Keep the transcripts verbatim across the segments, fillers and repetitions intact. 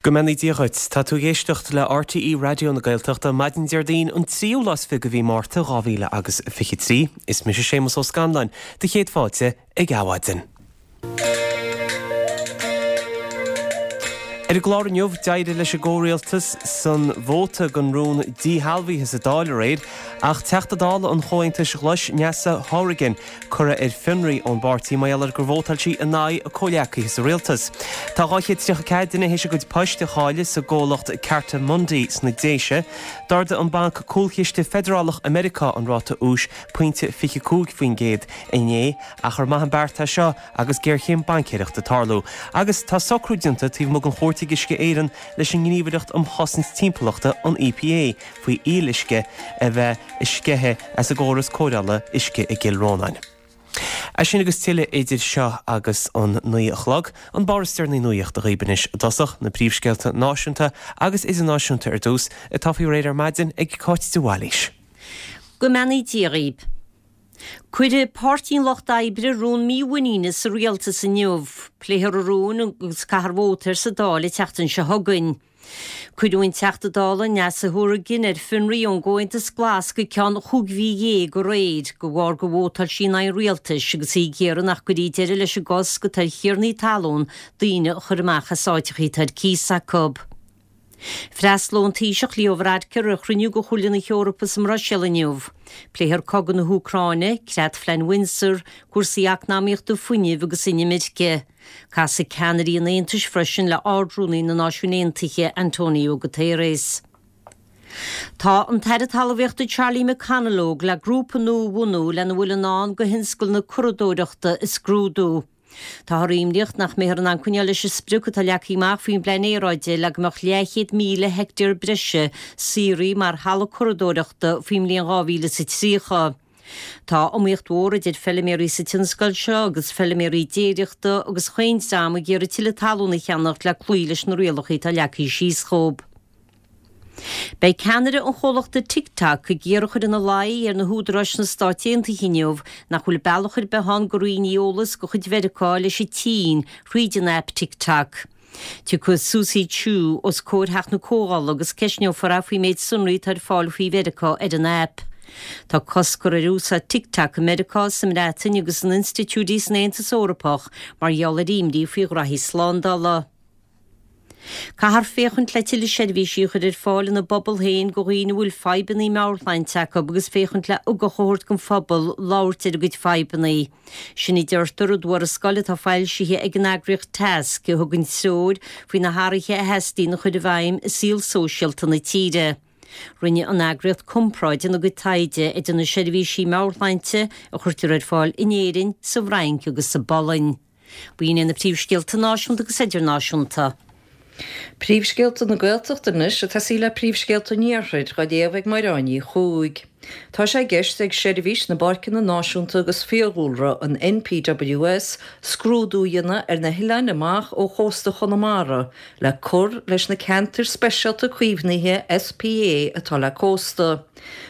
Go mbeannaí Dia dhuit. Tá tú ag éisteacht le RTÉ Raidió na Gaeltachta maidin Déardaoin an tríú lá is fiche de mhí Márta dhá mhíle agus fiche trí. Is mise Séamus Ó Scanláin, do chéad fáilte ag Adhmhaidin. Ar an gclár inniu, d'éirigh leis an gcomhrialtas san vóta don rún díshealbhaithe sa Dáil aréir, ach Teachta Dála an Chomhaontais Ghlais, Neasa Hourigan, curtha ar fionraí ón bpáirtí mar gheall ar gur vótáil sí in aghaidh a comhghleacaithe sa rialtas. Tá dhá chéad tríocha ceathair duine théis a gcuid poist a chailleadh sa gcomhlacht Cartamundi sna Déise. D'ardaigh an Banc Cúlchiste Feidearálach i Meiriceá an ráta úis pointe fiche cúig faoin gcéad inné, ach ar maith an beart é seo agus géarchéim baincéireachta ag tarlú. Agus tá socrú déanta taobh amuigh den chúirt ag Uisce Éireann leis an nGníomhaireacht um Chosaint Timpeallachta, an EPA, faoi fhuíolluisce a bheith ag sceitheadh as an gcóras cóireála uisce i gCill Rónáin. É sin agus tuilleadh idir seo agus an naoi a chlog. An barr is deireanaí nuachta dhaoibh anois i dtosach, na príomhscéalta náisiúnta agus idirnáisiúnta ar dtús, atá faoi réir ar maidin ag Cáit de Bhailís. Go mbeannaí Dia dhaoibh. Cuirfidh Páirtí an Lucht Oibre rún mímhuiníne sa rialtas inniu. Pléifear an rún agus caithfear vóta air sa Dáil an tseachtain seo chugainn. Cuireadh an Teachta Dála Neasa Hourigan ar fionraí ón gComhaontas Glas go ceann chúig mhí dhéag aréir de bharr gur vótáil sí in aghaidh an rialtais agus í ag iarraidh nach gcuirfí deireadh leis an gcosc atá ar thiarnaí talún daoine a chur amach as áiteachaí atá ar cíos acu. Freastalóidh an Taoiseach Leo Varadkar ar chruinniú de Chomhairle na hEorpa sa mBruiséil inniu. Pléifear cogadh na hÚcráine, Creat-Phlean Windsor, cúrsaí eacnamaíochta, fuinnimh agus inimirce. Casfaidh ceannairí an Aontais freisin le Ard-Rúnaí na Náisiún Aontaithe, Antonio Guterres. Tá an tAire Talmhaíochta Charlie McConalogue le grúpa nua a bhunú lena bhfuil i ndán do thionscal na curadóireachta a scrúdú. Táthar imníoch nach mbeifear in ann coinneáil leis an sprioc atá leagtha amach faoin bPlean Aeráide le go mbeadh leathchéad míle heicteár breise saothraithe mar thalamh curadóireachta faoin mbliain dhá mhíle is a tríocha. Tá iomaíocht mhór idir feiliméaraí sa tionscal seo agus feiliméaraí déiríochta agus chaon dream ag iarraidh tuilleadh talún a cheannacht le cloí leis na rialacha atá leagtha síos dhóibh. Beidh ceannaire an chomhlachta TikTok ag iarraidh a chur ina luí ar na húdaráis sna Stáit Aontaithe inniu nach bhfuil bealach ar bith ann go roinnfí eolas de chuid Mheiriceá leis an tSín thríd an aip TikTok. Tiocfaidh Susie Chu os comhair Theach na Comhdhála agus ceistneofar í faoin méid sonraí atá ar fáil faoi Mheiriceá ar an aip. Tá cosc curtha ar úsáid TikTok i Meiriceá, sa mBreatain agus in institiúidí san Aontas Eorpach mar gheall ar imní faoi ghraithí slándála. Caithfear féachaint le tuilleadh seirbhísí a chur ar fáil ina bpobal féin do dhaoine a bhfuil fadhbanna meabhairshláinte acu agus féachaint le ugach a thabhairt don phobal labhairt ar a gcuid fadhbanna. Sin a deirtear i dtuarascáil atá foilsithe ag an eagraíocht Tasc a thugann treoir faoi na hathruithe a theastaíonn a chur i bhfeidhm i saol sóisialta na tíre. Rinne an eagraíocht comparáid ina gcuid taighde idir na seirbhísí meabhairshláinte a chuirtear ar fáil in Éirinn, sa bhFrainc agus sa bPolainn. B'in iad na príomhscéalta náisiúnta agus idirnáisiúnta. Príomhscéalta na Gaeltachta anois ag tosaí le príomhscéalta an Iarthair, á léamh ag Máire Ní Chuaig. Tá sé i gceist ag Seirbhís na bPáirceanna Náisiúnta agus Fiadhúlra, an NPWS, scrúdú a dhéanamh ar na hoileáin amach ó chósta Chonamara le cur leis na ceantair speisialta caomhnaithe, SPA, atá le cósta.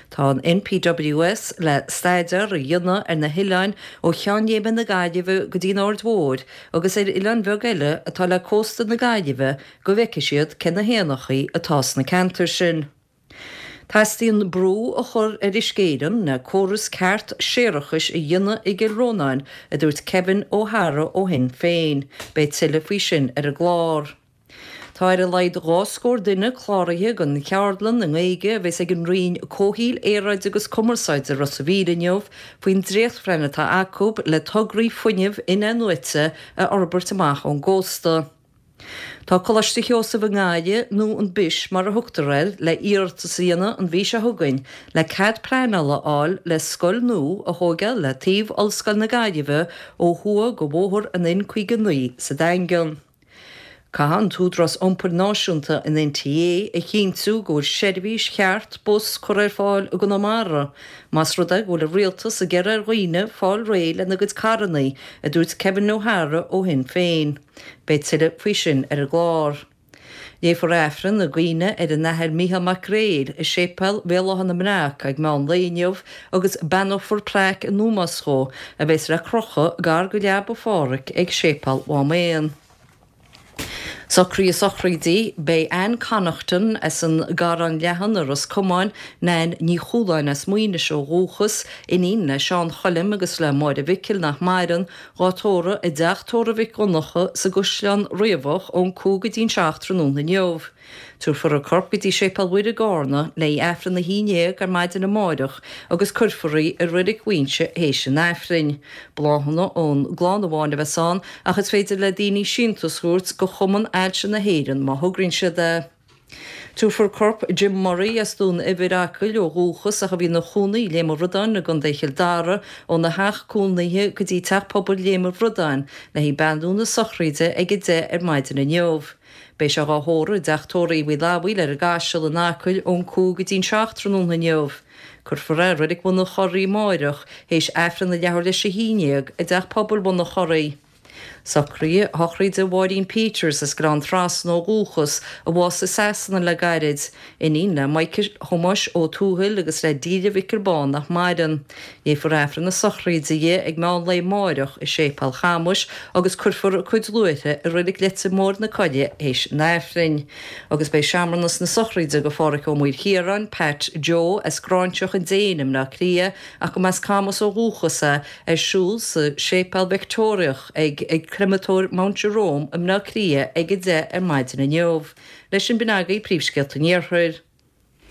Tá an NPWS le staidéar a dhéanamh ar na hoileáin ó Cheann Léime na Gaillimhe go dtí an Aird Mhóir agus ar oileáin bheaga eile atá le cósta na Gaillimhe go bhfeicfidh siad cé na héanachaí atá sna ceantair sin. Teastaíonn brú a chur ar Uisce Éireann le córas ceart séarachais a dhéanamh i gCill Rónáin, a dúirt Kevin O'Hara ó Shinn Féin. Beidh tuilleadh faoi sin ar an gclár. Tá ar a laghad dhá scór duine cláraithe don cheardlann i nGaeilge a bheas ag an Roinn Comhshaoil, Aeráide agus Cumarsáide i Ros a' Mhíl inniu faoin dréachtphlean atá acu le tograí fuinnimh in-athnuaite a fhorbairt amach ón gcósta. Tá Coláiste Sheosaimh i nGaillimh, nó an Bish mar a thugtar air, le iarratas a dhéanamh an mhí seo chugainn le cead pleanála a fháil le scoil nua a thóigeáil le taobh Ollscoil na Gaillimhe ó thuaidh de bhóthar an N caoga naoi sa Daingean. Caithfidh an tÚdarás Iompair Náisiúnta, an NTA, a chinntiú go bhfuil seirbhís cheart bus curtha ar fáil i gConamara, más rud é go bhfuil an Rialtas ag iarraidh ar dhaoine fáil réidh lena gcuid carrannaí, a dúirt Kevin O'Hara ó Shinn Féin. Beidh tuilleadh faoi sin ar an gclár. Léifear Aifreann i gcuimhne ar an Athair Mícheál Mac Gréil i Séipéal Bhéal Átha na mBreac ag meán lae inniu agus beannófar plaic in ómós dhó a bheas le crochadh gar go leaba Phádhraic ag Séipéal Mhám Éan. Socruithe sochraide, Beidh Anne Connaughton as an gCarrán Leathan i Ros Comáin, Nan Ní Chúláin as Muínis ó dhúchas, iníon le Seán Choilm agus le Máire Mhicil nach maireann, dhá tórramh i dteach tórraimh Mhic Dhonncha sa gCaisleán Riabhach ón cúig go dtí'n seacht tráthnóna inniu. Tabharfar a corp go dtí Séipéal Mhuire i gCarna le haghaidh Aifreann a haon déag ar maidin amáireach agus cuirfear í i Reilig Mhuínse théis an Aifrinn. Bláthanna ón gclann amháin a bheas ann ach is féidir le daoine síntiús a thabhairt go Chumann Ailse na hÉireann má thograíonn siad é. Tabharfar corp Jim Murray as Dún Eibhir, Acaill ó dhúchas ach a bhí ina chónaí i Léim an Bhradáin i gContae Chill Dara, óna theach cónaithe go dtí Teach Pobail Léim an Bhradáin le haghaidh beannú na sochraide ag a deich ar maidin inniu. Beidh sé dhá thórramh i dteach tórraimh Uí Fhlathbhail ar an gCaiseal in Acaill ón cúig go dtí'n seacht tráthnóna inniu. Cuirfear é i Reilig Bhun an Chorraigh amáireach théis Aifreann a leathuair leis a haon déag i dTeach Pobail Bhun an Chorraigh. Socruithe sochraide Mháirín Peters as Gleann Trasna ó dhúchas, a bhásaigh i Sasana le gairid, iníon le Michael Thomáis Ó Tuathail agus le Delia Mhicil Bán nach maireann. Léifear Aifreann na sochraide di ag meán lae amáireach i Séipéal Chamuis agus cuirfear a cuid luaithre i Reilig Leitir Móir na Coille théis an Aifrinn. Agus beidh searmanas na sochraide do Phádhraic Ó Maoilchiaráin, Pat Joe, as Gráinseach an Déin i mBleá Cliath ach go mb'as Camus ó dhúchas é, ar siúl sa Séipéal Victeoiriach ag ag Créamatóir Mount Jerome i mBleá Cliath ag a deich ar maidin inniu. Leis sin b'in agaibh príomhscéalta an Iarthair.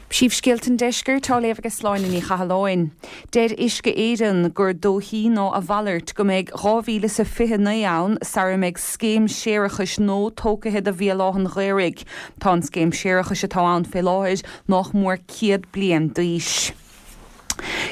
Príomhscéalta an Deiscirt á léamh ag Sláine Ní Chathalláin. Deir Uisce Éireann gur dóichí ná a mhalairt go mbeidh dhá mhíle is a fiche naoi ann sara mbeidh scéim séarachais nua tógtha do Bhéal Átha an Ghaorthaidh. Tá an scéim séarachais atá ann fé láthair nach mór céad bliain d'aois.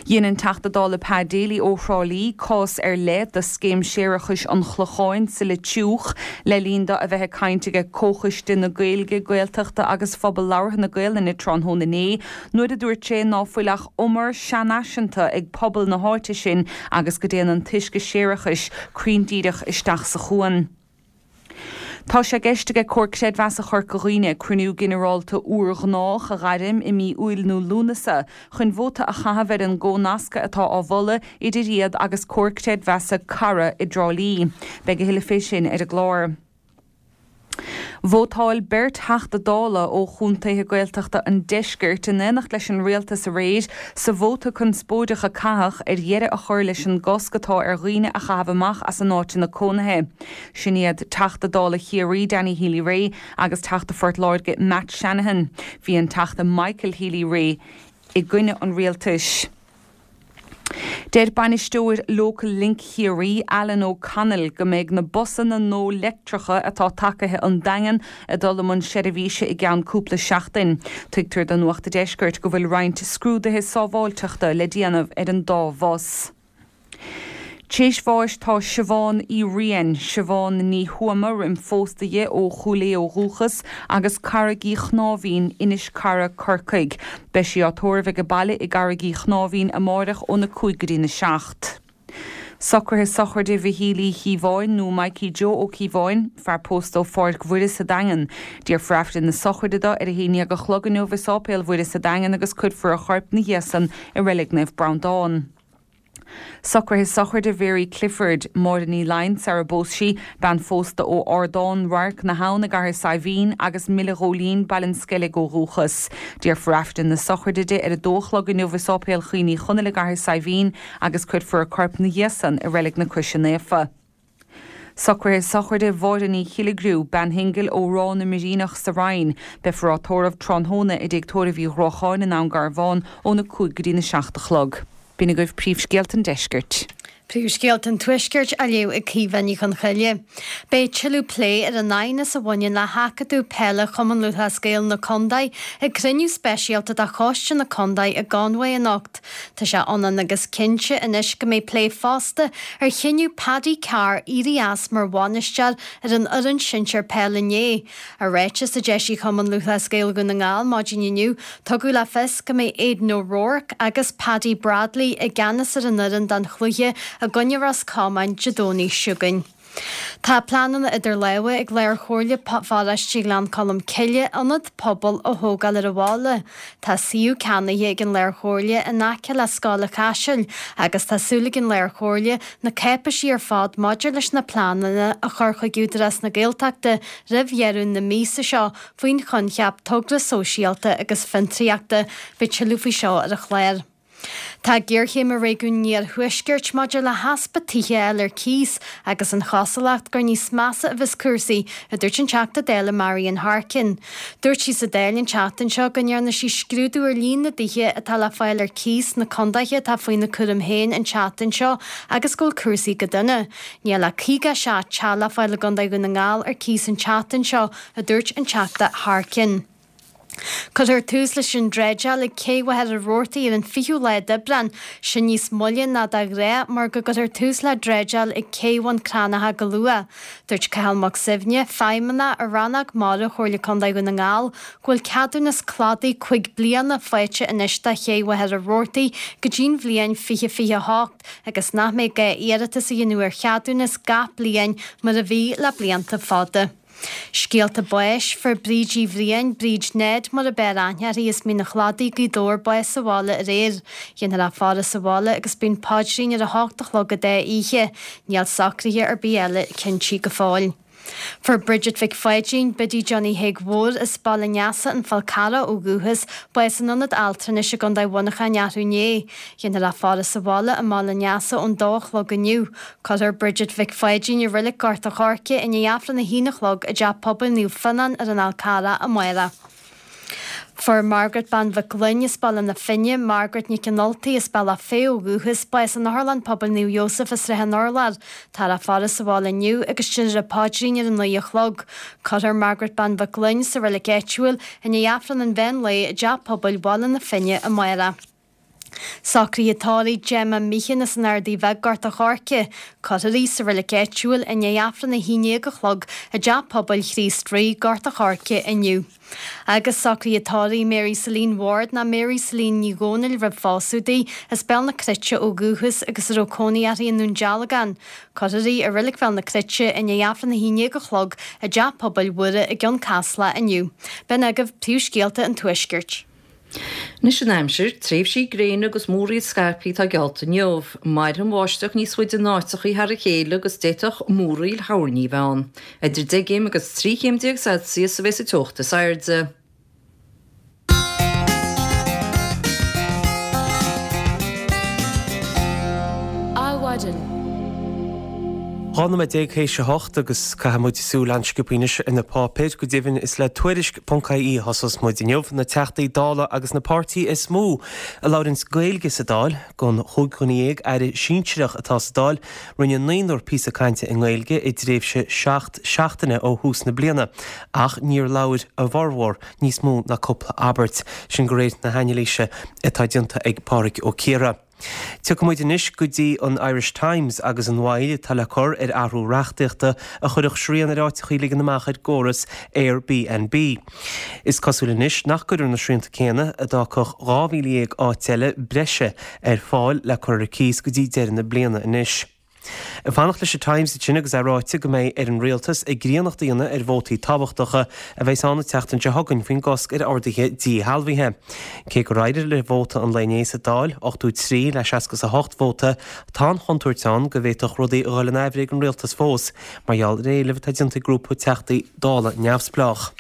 Dhein an Teachta Dála Pa Daly ó Thrá Lí cás ar leith de scéim séarachais an Chlocháin sa Leitriúch le linn dó a bheith ag caint ag Comhchoiste na Gaeilge, Gaeltachta agus Phobal Labhartha na Gaelainne tráthnóna inné nuair a dúirt sé ná fuil ach umar seanfhaiseanta ag pobal na háite sin agus go dtéann an t-uisce séarachais cruinn díreach isteach sa chuan. Tá sé i gceist ag Comhar Creidmheasa Chorca Dhuibhne cruinniú ginearálta urghnách a ghairm i mí Iúil nó Lúnasa chun vóta a chaitheamh ar an gcomhnascadh atá á mholadh idir iad agus Comhar Creidmheasa Cara i dTrá Lí. Beidh a thuilleadh fé sin ar an gclár. Vótáil beirt Theachta Dála ó chontaetha Gaeltachta an Deiscirt in éineacht leis an rialtas aréir sa vóta conspóideach a caitheadh ar dheireadh a chur leis an gcosc atá ar dhaoine a chaitheamh amach as a n-áiteanna cónaithe. Sin iad Teachta Dála Chiarraí Danny Healy-Rae agus Teachta Phort Láirge Matt Shanahan. Bhí an Teachta Michael Healy-Rae i gcoinne an rialtais. Deir bainisteoir Local Link Chiarraí, Alan O'Connell, go mbeidh na busanna nua leictreacha atá tagaithe ón Daingean ag dul i mbun seirbhíse i gceann cúpla seachtain. Tuigtear do Nuacht an Deiscirt go bhfuil roinnt scrúduithe sábháilteachta le déanamh ar an dá bhus. Théis bháis tá Siobhán Uí Riain, Siobhán Ní Thuama roim phósta di ó Chúil Aodha ó dhúchas agus Carraig Uí Chnáimhín, Inis Cara, Corcaigh. Beidh sí á tórramh ag baile i gCarraig Uí Chnáimhín amáireach óna cúig go dtína seacht. Socruithe sochraide Mhichíl Uí Chíobháin nó Mikey Joe Ó Cíobháin, fear pósta ó Pháirc Mhuire sa Daingean. Déarfar Aifreann na sochraide dó ar a haon déag a chlog inniu i Sáipéal Mhuire sa Daingean agus cuirfear a chorp ina dhiaidh san i Reilig Naomh Breandán. Socruithe sochraide Mhary Clifford, Máire Ní Laighin sara bpós sí, bean phósta ó Ardán Radharc na hAbhann i gCathair Saidhbhín agus Mile Ghóilín, Baile an Sceilg ó dhúchas. Déarfar Aifreann na sochraide di ar a dó a chlog inniu i Sáipéal Chaoin Uí Chonaill i gCathair Saidhbhín agus cuirfear a corp ina dhiaidh san i Reilig na Croise Naofa. Socruithe sochraide Mháire Ní Chilligriú, bean shingil ó Ráth na mBiríneach sa Rinn. Beifear á tórramh tráthnóna i dtigh tórraimh Uí Ghruacháin i nDún Garbhán óna cúig go dtína seacht a chlog. B'in agaibh príomhscéalta an Deiscirt. Príomhscéalta an Tuaiscirt á léamh ag Caoimhe Ní Chonchoille. Beidh tuilleadh plé ar an aighneas a bhaineann le hAcadamh Peile Chumann Lúthchleas Gael na Condae ag cruinniú speisialta de Choiste na Condae i gConway anocht. Tá sé ionann agus cinnte anois go mbeidh plé fosta ar chinneadh Paddy Carr éirí as mar bhainisteoir ar an fhoireann sinsir peile inné. I ráiteas a d'eisigh Cumann Lúthchleas Gael Dhún na nGall maidin inniu, tugadh le fios go mbeidh Aidan O'Rourke agus Paddy Bradley i gceannas ar an fhoireann don chluiche i gcoinne Ros Comáin Dé Domhnaigh seo chugainn. Tá pleananna idir lámha ag Lár-Chomhairle Pharóiste Ghleann Cholm Cille ionad pobail a thógáil ar an bhaile. Tá suíomh ceannaithe ag an Lár-Chomhairle in aice le Scoil an Chaisil agus tá súil ag an Lár-Chomhairle na cáipéisí ar fad maidir leis na pleananna a chur chuig Údarás na Gaeltachta roimh dheireadh na míosa seo faoin choincheap togra sóisialta agus fiontraíochta. Beidh tuilleadh faoi seo ar an chlár. Tá géarchéim i réigiún an iarthuaiscirt maidir le heaspa tithe a fháil ar cíos agus an chosúlacht gur níos measa a bheas cúrsaí, a dúirt an Teachta Dála Marian Harkin. Dúirt sí sa Dáil an tseachtain seo go ndearna sí scrúdú ar líon na dtithe atá le fáil ar cíos sna contaetha atá faoina cúram féin an tseachtain seo agus go bhfuil cúrsaí go dona. Níl ach caoga a seacht teach le fáil i gContae Dhún na nGall ar cíos an tseachtain seo, a dúirt an Teachta Harkin. Cuirfear tús leis an dreideáil ag Cé Mhachaire Rabhartaigh ar an fichiú lá d'Aibreán, sin níos moille ná de ghnáth mar go gcuirfear tús le dreideáil ag Cé Bhun Cranncha go luath. Dúirt Cathal Mac Suibhne, Feidhmeannach i Rannóg Mara Chomhairle Contae Dhún na nGall, go bhfuil ceadúnas cladaigh cúig bliana faighte anois do Ché Mhachaire Rabhartaigh go dtí'n bhliain fiche fiche a hocht agus nach mbeidh gá iarratas a dhéanamh ar cheadúnas gach bliain mar a bhí le blianta fada. Scéalta báis, Fuair Bríd Uí Bhriain, Bríd Ned mar ab fhearr aithne uirthi as Mín an Chladaigh, Gaoth Dobhair, bás sa bhaile aréir. Dhéanfar a faire sa bhaile agus beidh an paidrín ar a hocht a chlog an dá oíche. Níl socruithe ar bith eile cinntí go fóill. Fuair Bridget Mhic Pháidín, Biddy Johnny Thaidhg Mhóir, as Baile an Easa, An Fál Carrach ó dhúchas, bás in ionad altranais i gContae Mhuineacháin arú inné. Dhéanfar a faire sa bhaile i mBaile an Easa ón dó a chlog inniu. Cuirfear Bridget Mhic Pháidín i Reilig Gort an Choirce i ndiaidh Aifreann a haon a chlog i dTeach Pobail Naomh Fionnán ar an Fhál Carrach amárach. Fuair Margaret Bean Mhic Gloinn as Baile na Finne, Margaret Nic an Ultaigh as Bealach Féich ó dhúchas, bás in Otharlann Pobail Naomh Iósaf i Srath an Urláir. Táthar á faire sa bhaile inniu agus déanfar an paidrín ar a naoi a chlog. Cuirfear Margaret Bean Mhic Gloinn sa reilig áitiúil i ndiaidh Aifreann an mheán lae i dTeach Pobail Bhaile na Finne amárach. Socruithe tórraimh Gemma Meehan as an Ardaidh Bheag, Gort an Choirce. Cuirfear í sa reilig áitiúil i ndiaidh Aifreann a haon déag a chlog i dTeach Pobail Chríost Rí, Gort an Choirce inniu. Agus socruithe tórraimh Mary Celine Ward ná Mary Celine Ní Dhomhnaill roimh phósadh di, as Béal na Cruite ó dhúchas agus a raibh cónaí uirthi i nDún Dealgán. Cuirfear í i Reilig Bhéal na Cruite i ndiaidh Aifreann a haon déag a chlog i dTeach Pobail Mhuire i gCeann Caslach inniu. B'in agaibh príomhscéalta an Tuaiscirt. Anois an aimsir, tréimhsí gréine agus múraíl scaipthe atá geallta inniu. Mairfidh an bháisteach níos faide in áiteachaí thar a chéile agus d'fhéadfadh múraíl thoirní a bheith ann. Idir deich gcéim agus trí chéim déag Celsius a bheas an teocht is airde. Adhmhaidin. Dhá nóiméad déag théis a hocht agus caithfidh muid súil an-sciobtha anois ar na páipéir. Go deimhin is le Tuairisc ponc ie a thosós muid inniu. Na Teachtaí Dála agus na páirtí is mó a labhraíonns Gaeilge sa Dáil, den chúig dhuine dhéag Aire sinsearach atá sa Dáil, rinne naonúr píosa cainte i nGaeilge i dtréimhse seacht seachtaine ó thús na bliana ach níor labhair a bhformhór níos mó ná cúpla abairt. Sin de réir na hanailíse atá déanta ag Pádraig Ó Ciardha. Tiocfaidh muid anois go dtí an Irish Times agus an mhoill atá le cur ar athrú reachtaíochta a chuirfeadh srian ar áiteachaí ligean amach ar gcóras Airbnb. Is cosúil anois nach gcuirfear na srianta céanna a d'fhágfadh dhá mhíle dhéag áit eile breise ar fáil le cur ar cíos go dtí deireadh na bliana anois. Ag fanacht leis an Times ansin agus é ráite go mbeidh ar an rialtas a gcríonnacht a dhéanamh ar vótaí tábhachtacha a bheas ann an tseachtain seo chugainn faoin gcosc ar orduithe díshealbhaithe. Cé gur éirigh le vóta an lae inné sa Dáil, ochtó trí le seasca is a hocht vóta, tá an chontúirt ann go bhféadfadh rudaí a dhul in aimhréidh ag an rialtas fós mar gheall ar éilimh atá déanta ag grúpa Teachtaí Dála neamhspleách.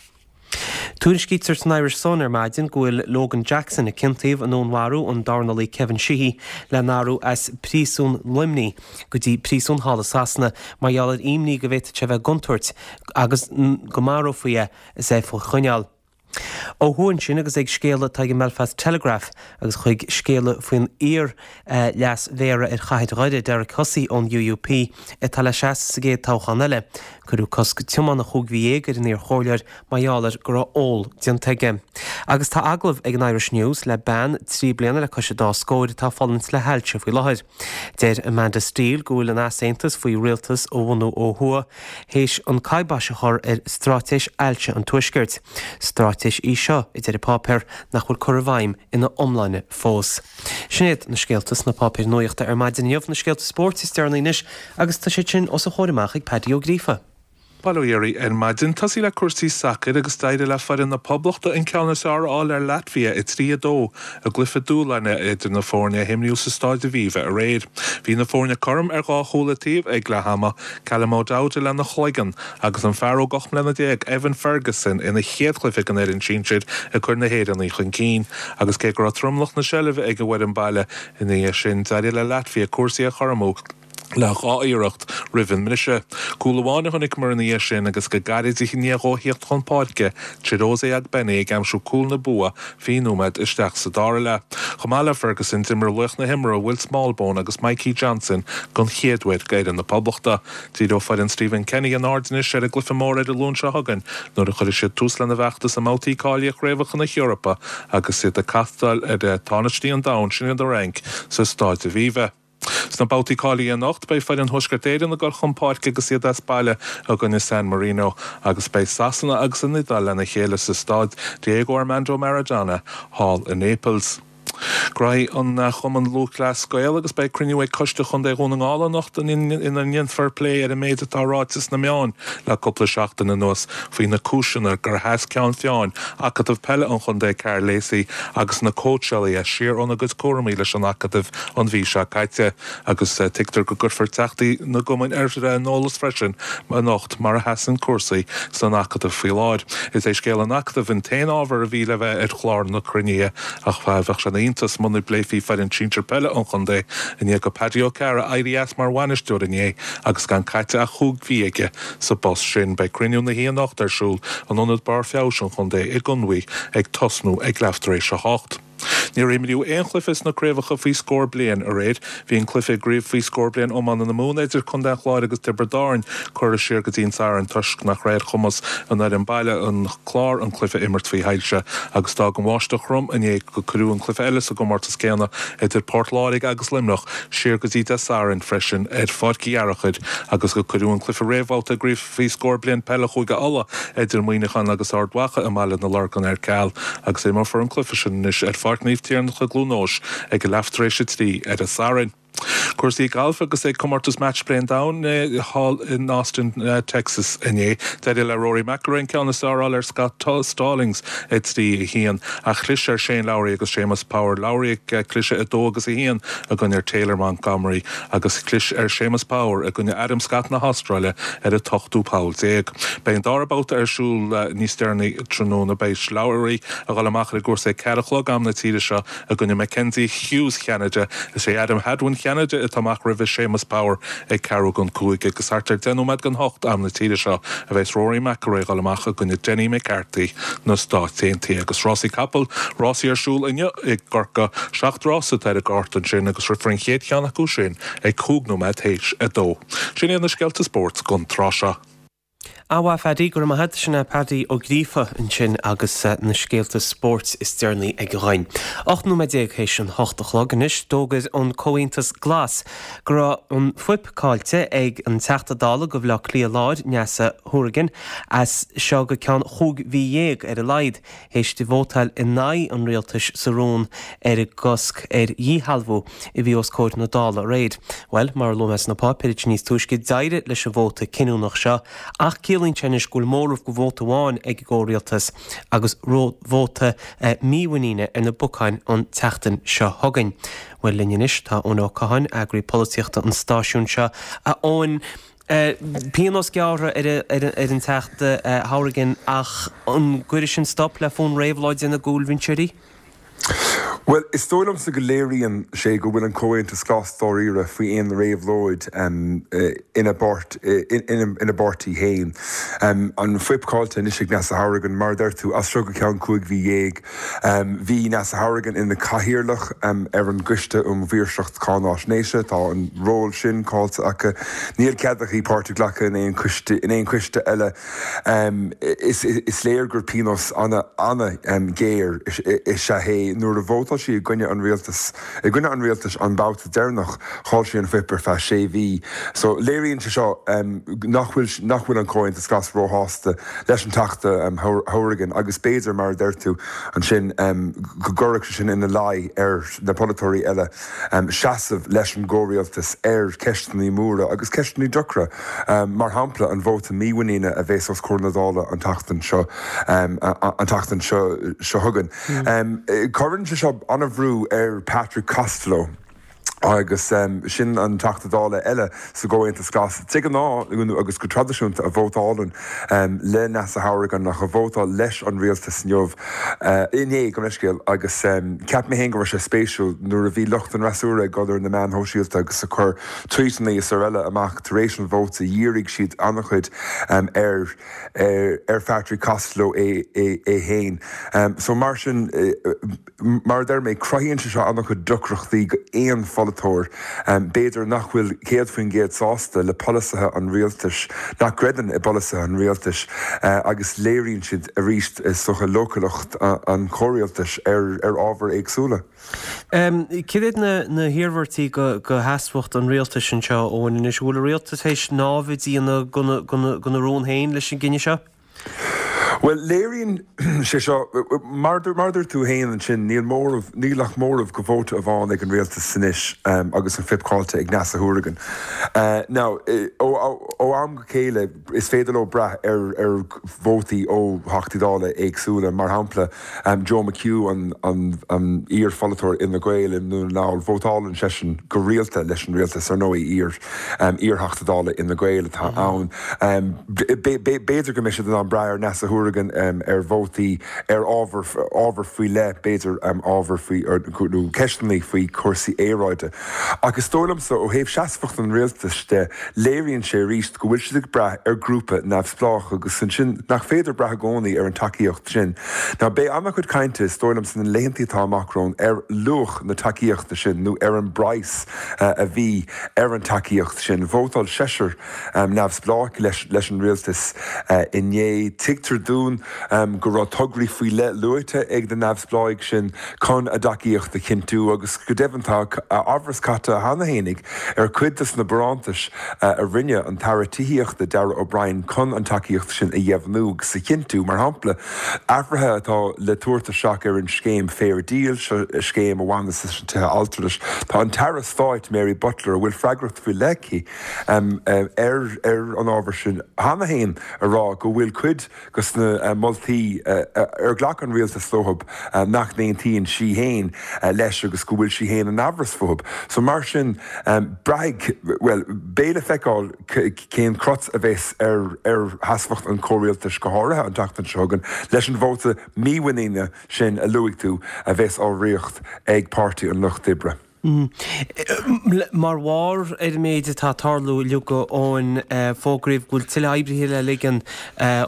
Tuairiscítear san Irish Sun ar maidin go bhfuil Logan Jackson, a ciontaíodh i ndúnmharú an dornálaí Kevin Sheehy, le n-athrú as príosún Luimnigh go dtí príosún thall i Sasana mar gheall ar imní go bhféadfadh sé a bheith i gcontúirt agus go marófaí é is é faoi choinneáil. Ó thuaidh ansin agus ag scéala atá ag an mBelfast Telegraph agus chuig scéala faoin iar-leas mhéara ar chathair Dhoire, Derek Hussey ón UUP, atá le seasamh sa gcéad toghchán eile. Cuireadh cosc tiomána chúig mhí dhéag ar an iarchomhairleoir mar gheall ar go raibh ól déanta aige. Agus tá agallamh ag an Irish News le bean trí bliana le cois a dá scóir atá ag fulaingt le hailse faoi láthair. Deir Amanda Steele go bhfuil an easaontas faoi rialtas a bhunú ó thuaidh théis an kibosh a chur ar straitéis ailse an Tuaiscirt. Straitéis í seo, a deir an páipéar, nach bhfuil curtha i bhfeidhm ina iomláine fós. Sin iad na scéalta sna páipéir nuachta ar maidin inniu, na scéalta spóirt is deireanaí anois agus tá siad sin os a chomhair amach ag Paddy Ó Gríofa. Bail ó Dhia oraibh ar maidin. Tosaí le cúrsaí sacair agus d'éirigh le foireann na Poblachta an ceann is fearr a fháil ar Latvia a trí a dó i gcluiche dúshláin idir na foirne a himríodh sa Stáid Aviva aréir. Bhí na foirne cothrom ar dhá chúl an taobh ag leath ama, Callum O'Dowda lena chloigeann agus an fear óg ocht mbliana déag Evan Ferguson ina chéad chluiche don fhoireann sinsir ag cur na hÉireannaigh chun cinn. Agus cé go raibh tromlach na seilbhe ag an bhfoireann baile ina dhiaidh sin, d'éirigh le Latvia cúrsaí a chothromú. le dhá iarracht roimh an mbriseadh. Cúl amháin a chonaiceamar ina dhiaidh sin agus go gairid i ndiaidh dó theacht chun páirce, Chiedozie Ogbene ag aimsiú cúl na bua fiche nóiméad isteach sa dara leath. Chomh maith le Ferguson, d'imir laoch na himeartha Will Smallbone agus Mikey Johnston don chéad uair d'fhoireann na Poblachta. Díreoidh foireann Stephen Kenny a n-aird anois ar an gcluiche mór ar an Luan seo chugainn nuair a chuirfidh siad tús lena bhfeachtas i mbabhtaí cáilithe Chraobhacha na hEorpa agus iad ag castáil ar tánaistí an domhain, sin iad an Fhrainc, sa Stáid Aviva. Sna babhtaí cáilithe anocht, beidh foireann Thuaisceart Éireann ag dul chun páirce agus iad as baile i gcoinne San Marino agus beidh Sasana agus an Iodáil lena chéile sa Staid Diego Armando Maradona thall i Naples. Gnóthaí an Chumann Lúthchleas Gael agus beidh cruinniú ag Coiste Chontae Dhún na nGall anocht ina ndéanfar plé ar an méid atá ráite sna meáin le cúpla seachtain anuas faoi na cúiseanna gur sheas Ceann Feadhain Acadamh Peile an Chontae Karl Lacey agus na cóitseálaithe siar óna gcuid cúraimí leis an Acadamh an mhí seo caite agus tuigtear go gcuirfear teachtaí na gcumann ar an eolas freisin anocht mar a sheasann cúrsaí san Acadamh faoi láthair. Is é scéal an Acadaimh an t-aon ábhar a bhí le bheith ar chlár na cruinnithe ach bheadh sé ina iontas muna bpléifí foireann sinsir peile an chontae i ndiaidh do Paddy Ó Cearra éirí as mar bhainisteoir inné agus gan caite ach chúig mhí aige sa bpost sin. Beidh cruinniú na hoíche anocht ar siúl in Ionad Barr Feabhais an Chontae i gConmhaigh ag tosnú ag leath tar éis a hocht. Níor imríodh aon chluiche sna craobhacha faoi scór bliain aréir. Bhí an cluiche i gcraobh faoi scór bliain iomána na Mumhan idir Contae an Chláir agus Tiobraid Árann curtha siar go dtí an Satharn toisc nach raibh ar chumas an fhoireann baile an Clár an cluiche a imirt faoi shoilse agus d'fhág an bháisteach throm inné go cuireadh an cluiche eile sa gcomórtas céanna idir Port Láirge agus Luimneach siar go dtí Dé Sathairn freisin ar Pháirc Uí Fhearchair agus go cuireadh an cluiche réamhbhabhta i gcraobh faoi scór bliain peile Chúige Uladh idir Muineachán agus Ard Mhacha i mBaile na Lorgan ar ceal agus imreofar an cluiche sin anois ar Pháirc Naomh Tiarnach i gCluain Eois ag a leath tar éis a trí ar an Satharn. Cúrsaí gailf agus ag comórtas Match Play an Domhain thall in Austin, Texas inné. D'éirigh le Rory McIlroy an ceann is fearr a fháil ar Scott Stallings a trí a haon ach chlis ar Shane Lowry agus Séamus Power. Lowry ag cliseadh a dó agus a haon i gcoinne Taylor Montgomery agus chlis ar Séamus Power i gcoinne Adam Scott na hAstráile ar an ochtú poll déag. Beidh an dara babhta ar siúl níos deireanaí tráthnóna. Beidh Lowry ag dul amach ar an gcúrsa ag ceathair a chlog am na tíre seo i gcoinne Mackenzie Hughes Cheanada. Is é Adam Hadwin Cheanada atá amach roimhe Séamus Power ag ceathrú don cúig agus thart ar deich nóiméad don hocht am na tíre seo a bheas Rory McIlroy ag dul amach i gcoinne Denny McCarthy na Stát Aontaithe agus rásaí capall, rásaí ar siúl inniu i gCorcaigh, seacht rása atá ar an gcárta ansin agus rithfear an chéad cheann acu sin ag cúig nóiméad théis a dó. Sin iad na scéalta spóirt don tráth seo. An-mhaith Phaddy, go raibh maith agat. Sin é Paddy Ó Gríofa ansin agus na scéalta spóirt is deireanaí aige dhúinn. Ocht nóiméad déag théis an hocht a chlog anois, d'fhógair an Comhaontas Glas go raibh an fuip caillte ag an Teachta Dála do Bhaile Átha Cliath Láir, Neasa Hourigan, as seo go ceann chúig mhí dhéag ar a laghad, théis di vótáil in aghaidh an rialtais sa rún ar an gcosc ar dhíshealbhú a bhí os comhair na Dála aréir. Bhuel, mar a luaigh mé sna páipéir níos túisce, d'éirigh leis an vóta cinniúnach seo ach ciallaíonn sé anois go bhfuil móramh de vóta amháin ag an gcomhrialtas agus vóta mímhuiníne ar na bacáin an tseachtain seo chugainn. Bhuel, linn anois tá Eoin Ó Catháin, eagraí polaitíochta an stáisiúin seo. A Eoin, pionós gearrtha ar an Teachta Hourigan ach an gcuirfidh sin stop le fonn réabhlóide na gcúlbhinseoirí? Bhuel, is dóigh liomsa go léiríonn sé go bhfuil an Comhaontas Glas dáiríre faoi aon réabhlóid ina ina bpáirtí féin. An fuip caillte anois ag Neasa Hourigan, mar a deir tú, as seo go ceann cúig mhí dhéag. Bhí Neasa Hourigan ina cathaoirleach ar an gCoiste um Mhaoirseacht Cáináisnéise. Tá an ról sin caillte aici. Níl cead aici páirt a ghlacadh in aon choiste in aon choiste eile. Is léir gur pionós an-ghéar is ea é nuair a vótáil sí i gcoinne an rialtais i gcoinne an rialtais an babhta deireanach, chaill sí an fuip ar feadh sé mhí. So léiríonn sé seo nach bhfuil nach bhfuil an Comhaontas Glas róshásta leis an Teachta Hourigan agus b'fhéidir, mar a deir tú ansin, go gcuirfeadh sé sin ina luí ar na polaiteoirí eile seasamh leis an gcomhrialtas ar cheisteanna móra agus ceisteanna deacra, mar shampla an vóta mímhuiníne a bheas os comhair na Dála an tseachtain seo an tseachtain seo seo chugainn. Cuireann sé seo an-bhrú ar Patrick Costello agus sin an Teachta Dála eile sa gComhaontas Glas. De ghnáth agus go traidisiúnta a vótálann le Neasa Hourigan ach a vótáil leis an rialtas inniu, inné, gabh mo leithscéal, agus cheap mé féin go raibh sé spéisiúil nuair a bhí lucht an fhreasúra ag dul ar na meáin shóisialta agus ag cur tweetanna is araile amach tar éis an vóta, dhírigh siad an-chuid ar ar Phatrick Costello é é féin. So mar sin, mar a deir mé, cruthaíonn sé seo an-chuid deacrachtaí go aon pholaiteoir, b'fhéidir nach bhfuil céad faoin gcéad sásta le polasaithe an rialtais, nach gcreideann i bpolasaithe an rialtais agus léiríonn siad arís is dócha leochaileacht an chomhrialtais ar ar ábhair éagsúla. Cad iad na hiarmhairtí go sheasmhacht an rialtais anseo, Eoin, anois? An bhfuil an rialtas théis námhaid a dhéanamh gona rún féin leis an gcinneadh seo? Bhuel, léiríonn sé seo, mar a dúirt tú féin ansin, níl móramh, níl ach móramh go vóta amháin ag an rialtas anois agus an fuip caillte ag Neasa Hourigan. Now, ó am go chéile, is féidir leo brath ar ar vótaí ó Theachtaí Dála éagsúla, mar shampla Joe McHugh, an an iar-pholaiteoir Fhine Gael i nDún na nGall, vótálann seisean go rialta leis an rialtas, ar ndóigh, iar iar-Theachta Dála Fhine Gael atá ann. B'fhéidir go mbeidh siad in ann brath ar Neasa Hourigan ar vótaí ar ábhar ábhar faoi leith, b'fhéidir ábhar faoi nó ceisteanna faoi chúrsaí aeráide. Ach is dóigh liomsa, ó thaobh seasmhacht an rialtais de, léiríonn sé arís go bhfuil siad ag brath ar ghrúpa neamhspleách agus ansin nach féidir brath i gcónaí ar an tacaíocht sin. Now beidh an-chuid cainte, is dóigh liom, sna laethanta atá amach romhainn ar luach na tacaíochta sin nó ar an bpraghas a bhí ar an tacaíocht sin. Vótáil seisear neamhspleách leis an rialtas inné. Tuigtear dúinn go raibh tograí faoi leith luaite ag na neamhspleáigh sin chun a dtacaíocht a chinntiú agus go deimhin tá amhras caite cheana fhéinig ar chuid de na barántais a rinne an tAire Tithíochta Darragh O'Brien chun an tacaíocht sin a dheimhniú agus a chinntiú. Mar shampla, athruithe atá le tabhairt isteach ar an scéim Fair Deal, seo scéim a bhaineas leis na tithe altranais. Tá an tAire Stáit Mary Butler, a bhfuil freagracht faoi leith aici ar ar an ábhar sin cheana féin, a rá go bhfuil cuid de na moltaí ar ghlac an rialtas leo nach n-aontaíonn sí féin leis agus go bhfuil sí féin in amhras fúthu. So mar sin, braithfidh, bhuel, beidh le feiceáil cén crot a bheas ar ar sheasmhacht an chomhrialtais, go háirithe an tseachtain seo chugainn, leis an vóta mímhuiníne sin a luaigh tú a bheas á ritheacht ag Páirtí an Lucht Oibre. Mar bharr ar an méid atá ag tarlú uilig, a Eoin, fógraíodh go bhfuil tuilleadh oibrithe le ligean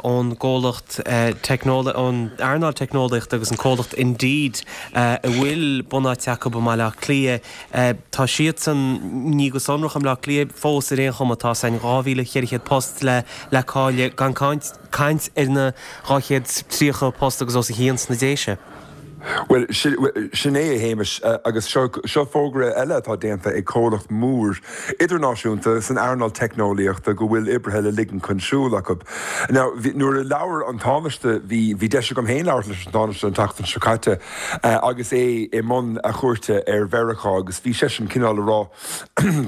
ón gcomhlacht ón earnáil teicneolaíochta agus an comhlacht Indeed a bhfuil bunáite acu i mBaile Átha Cliath. Tá siadsan, ní go sonrach i mBaile Átha Cliath fós ar aon chuma, tá san dhá mhíle cheithre chéad post le le cailleadh gan caint ar na dhá chéad tríocha post agus os a chionn sna Déise. Bhuel, sin é, a Shéamais, agus seo fógra eile atá déanta ag comhlacht mór idirnáisiúnta san earnáil teicneolaíochta go bhfuil oibrithe le ligean chun siúil acu. Now, nuair a labhair an Tánaiste, bhí bhí deis agam féin labhairt leis an Tánaiste an tseachtain seo caite agus é i mbun a chuairte ar Mheiriceá agus bhí seisean cineál a rá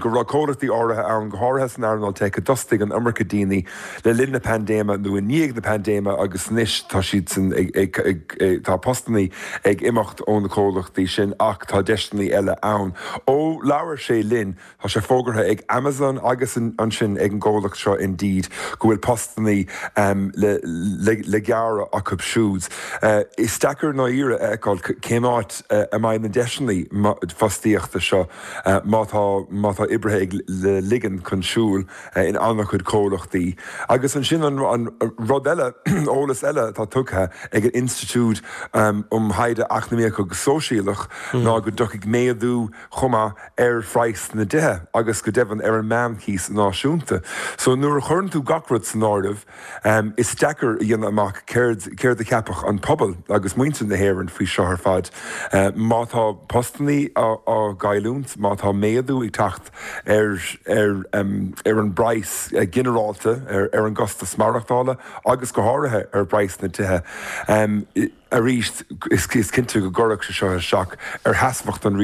go raibh comhlachtaí áirithe ann, go háirithe san earnáil teic, a d'fhostaigh an iomarca daoine le linn na paindéime nó i ndiaidh na paindéime agus anois tá siadsan ag, ag, ag, tá postanna ag imeacht ó na comhlachtaí sin ach tá deiseanna eile ann. Ó labhair sé linn tá sé fógartha ag Amazon agus ansin ag an gcomhlacht seo Indeed go bhfuil postanna um, le, le, le gearradh acu siúd. Uh, is deacair ná ire a fheiceáil cén áit uh, a mbeidh na deiseanna fostaíochta seo uh, má tá má tá oibrithe ag le ligean chun siúil uh, in an-chuid comhlachtaí. Agus ansin an, an rud eile eolas eile atá tugtha ag an Institiúid um, um Thaighde Eacnamaíoch agus Sóisialach mm. ná go dtiocfaidh méadú chomh maith ar phraghas na dtithe agus go deimhin ar an meánchíos náisiúnta. So nuair a chuireann tú gach rud san áireamh um, is deacair a dhéanamh amach céard céard a cheapfadh an pobal agus muintir na hÉireann faoi seo ar fad. Uh, má tá postanna á gcailliúint, má tá méadú ag teacht ar ar um, ar an bpraghas uh, ginearálta ar, ar an gcostas maireachtála agus go háirithe ar phraghas na dtithe. Um, arís is is cinnte go gcuirfeadh sé seo isteach ar sheasmhacht an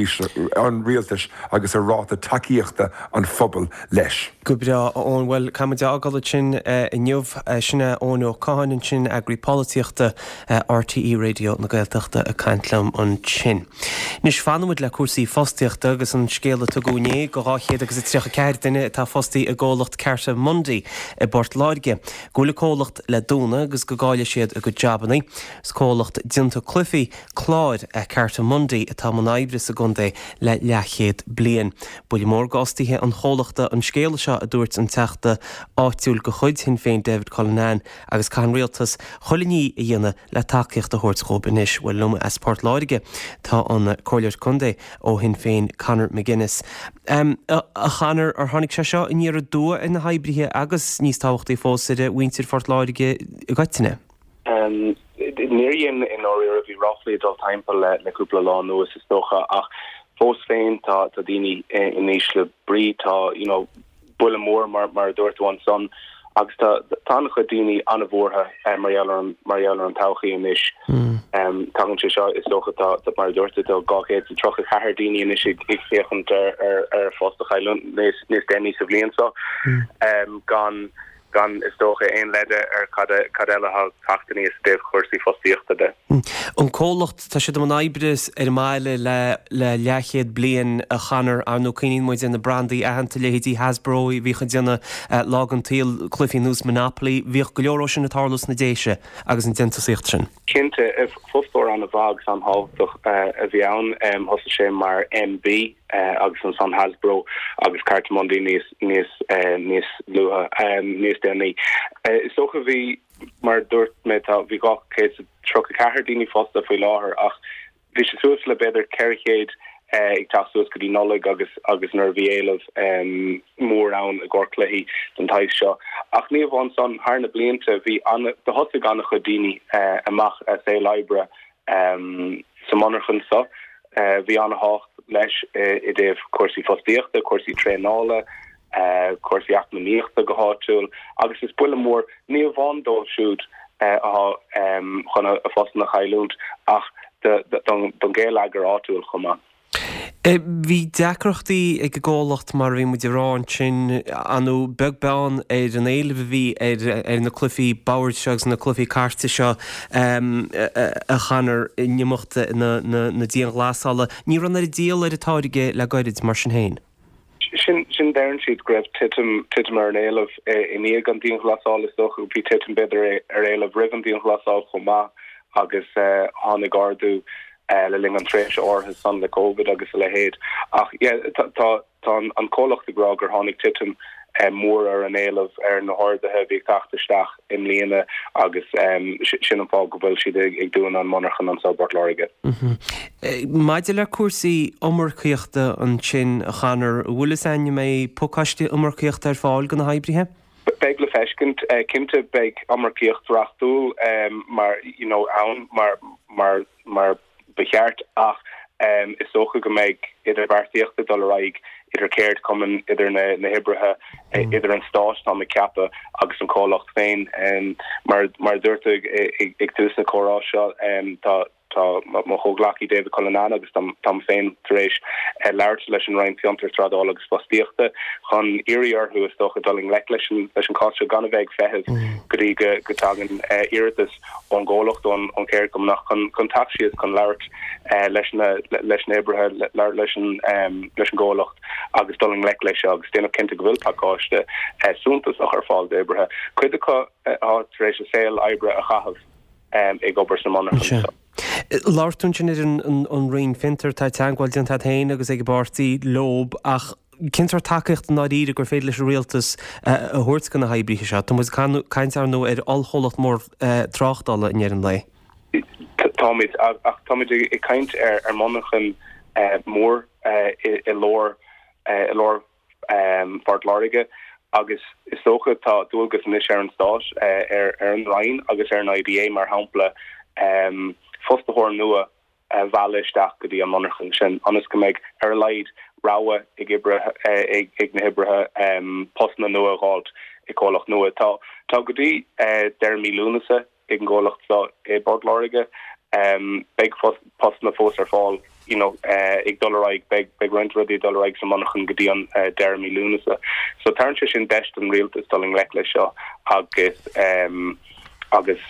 an rialtais agus ar ráta tacaíochta an phobail leis. Go breá ón bhfuil caid agal sin inniu sinna ón ó cáin sin eagraí polaitíochta RTÉ Raidió na Gaeltachta ag caint liom ansin. Anois fanfaimid le cúrsaí fostaíochta agus an scéal a tugadh inné go dhá chéad agus a tríocha ceathair duine atá fostaithe i gcomhlacht Cartamundi i bPort Láirge. Go bhfuil an comhlacht le dúnadh agus go gcaillfidh siad a gcuid jabanna. Is comhlacht déanta cluichí cláir é Cartamundi atá i mbun oibre sa gcontae le leathchéad bliain. Buille mór d'fhostaithe an chomhlachta an scéal seo a dúirt an teachta áitiúil de chuid Shinn Féin David Cullinane agus caithfidh an rialtas chuile ní a dhéanamh le tacaíocht a thabhairt dóibh anois bhuel liom as Port Láirge tá an Comhairleoir Contae ó Shinn Féin Conor McGuinness. Um, a, a Chonor ar tháinig sé seo aniar aduaidh ar na hoibrithe agus níos tábhachtaí fós ar mhuintir Phort Láirge i gcoitinne. Um, Níor dhein i ndáiríre bhí ráflaí ag dul timpeall le le cúpla lá anuas is dócha ach fós féin tá tá daoine in ísle brí tá you know, buille mór mar mar a dúirt tú ansan agus tá tá an-chuid daoine an-bhuartha eh, mar gheall ar an mar gheall ar an todhchaí anois. Mm. Um, tagann sé seo is dócha tá tá mar a dúirt tú tá dhá chéad is tríocha ceathair daoine anois ag ag féachaint ar ar ar phost a chailliúint níos níos déanaí sa bhliain seo. Mm. Um, gan gan is dócha aon leide ar cad cad eile atá ag teacht aníos i dtaobh cúrsaí fostaíochta de. An comhlacht tá siad i mbun oibre ar an mbaile le le leathchéad bliain a Chonor ar ndóigh cuimhníonn muid ar na brandaí aitheanta leithéidí Hasbro a bhíodh ag déanamh lá den tsaol cluichí ar nós Monopoly, bhíodh go leor sin ag tarlú sna Déise agus an déantúsaíocht sin. Cinnte, fostóir an-mhaith agus an-thábhachtach a bhí ann, thosaigh sé mar MB agus ansan Hasbro agus Cartamundi níos níos níos luaithe níos déanaí. Is dócha bhí mar dúirt mé tá bhí dhá chéad tríocha ceathair daoine fostaithe faoi láthair ach bhí sé suas le b'fhéidir ceithre chéad ag teacht suas go dtí Nollaig agus agus nuair a bhí éileamh um, mór ann i gcomhair cluichí den tsaghas seo. Ach ní amháin san thar na blianta bhí an do thosaigh an-chuid daoine uh, amach a saol oibre um, sa monarchan seo. Uh, bhí an-tábhacht leis i dtaobh cúrsaí fostaíochta, cúrsaí traenála, uh, cúrsaí eacnamaíochta go háitiúil, agus is buille mór ní amháin dóibh siúd uh, atá um, chun a phostanna a chailliúint ach don gheilleagar áitiúil chomh maith. Bhí deacrachtaí ag an gcomhlacht mar bhí muid ag rá ansin ar ndóigh beag beann ar an éileamh a bhí ar ar na cluichí boird seo agus na cluichí cairte seo a Chonor in imeacht na na dianghlasála. Ní raibh an oiread díol ar an táirge le gairid mar sin féin. Sin sin deireann siad go raibh titim titim ar an éileamh i ndiaidh an dianghlasáil is dócha bhí titim b'fhéidir ar éileamh roimh an dianghlasáil chomh maith agus tháinig ardú le linn an tréimhse áirithe san le Covid agus a leithéid. Ach tá tá an comhlacht ag rá gur tháinig titim mór ar an éileamh ar na horduithe a bhí ag teacht isteach i mbliana agus sin an fáth go bhfuil siad ag dúnadh an monarchan anseo i bPort Láirge. Maidir le cúrsaí iomarcaíochta ansin a Chonor, an bhfuil fhios againn an mbeidh pacáiste iomarcaíochta ar fáil do na hoibrithe? Beidh le feiscint cinnte beidh iomarcaíocht reachtúil mar you know ann mar mar mar ba cheart ach um, is dócha go mbeidh idirbheartaíocht ag dul ar aghaidh idir ceardchumainn idir na, na hoibrithe mm. idir an stát tá mé ag ceapadh agus an comhlacht féin um, mar mar dúirt ag, ag, ag tús na comhrá seo um, tá tá mo chomhghleacaí David Cullinane agus táim féin tar éis eh, labhairt leis an Roinn Fiontar Trádála agus Fostaíochta chun iarraidh orthu is dócha dul i ngleic leis an leis an cás seo gan a bheith ag feitheamh mm. go dtí go go dtagann iarratas ón gcomhlacht ón ón cheardchumann chun chun teacht síos chun labhairt leis na leis na hoibrithe labhairt leis an leis an gcomhlacht agus dul i ngleic leis seo agus déanamh cinnte go bhfuil pacáiste suntasach ar fáil d'oibrithe. Cuid acu atá tar éis a saol oibre a chaitheamh ag obair sa monarchan seo. Labhair tú ansin ar an Roinn Fiontar, tá teagmháil déanta agat féin agus ag an bpáirtí leob ach cén sórt tacaíocht i ndáiríre gur féidir leis an rialtas a thabhairt do na hoibrithe seo? Tá muid ag caint ar ndóigh ar ollchomhlacht mór tráchtála i ndeireadh an lae. Táimid, ach táimid ag caint ar ar monarchan mór i lár i lár Phort Láirge agus is dócha tá dualgas anois ar an Stát, ar ar an Roinn agus ar an IDA mar shampla fostaitheoir nua a mhealladh isteach go dtí an monarchan sin ionas go mbeidh ar a laghad rogha ag oibrithe ag na hoibrithe postanna nua a dh'fháilt i gcomhlacht nua. Tá tá go dtí deireadh mí Lúnasa ag an gcomhlacht seo i bPort Láirge. Beidh postanna fós ar fáil you know ag dul ar aghaidh, beidh beidh roinnt rudaí ag dul ar aghaidh sa monarchan go dtí an deireadh mí Lúnasa. So tabharann sé sin deis don rialtas dul i ngleic leis seo agus agus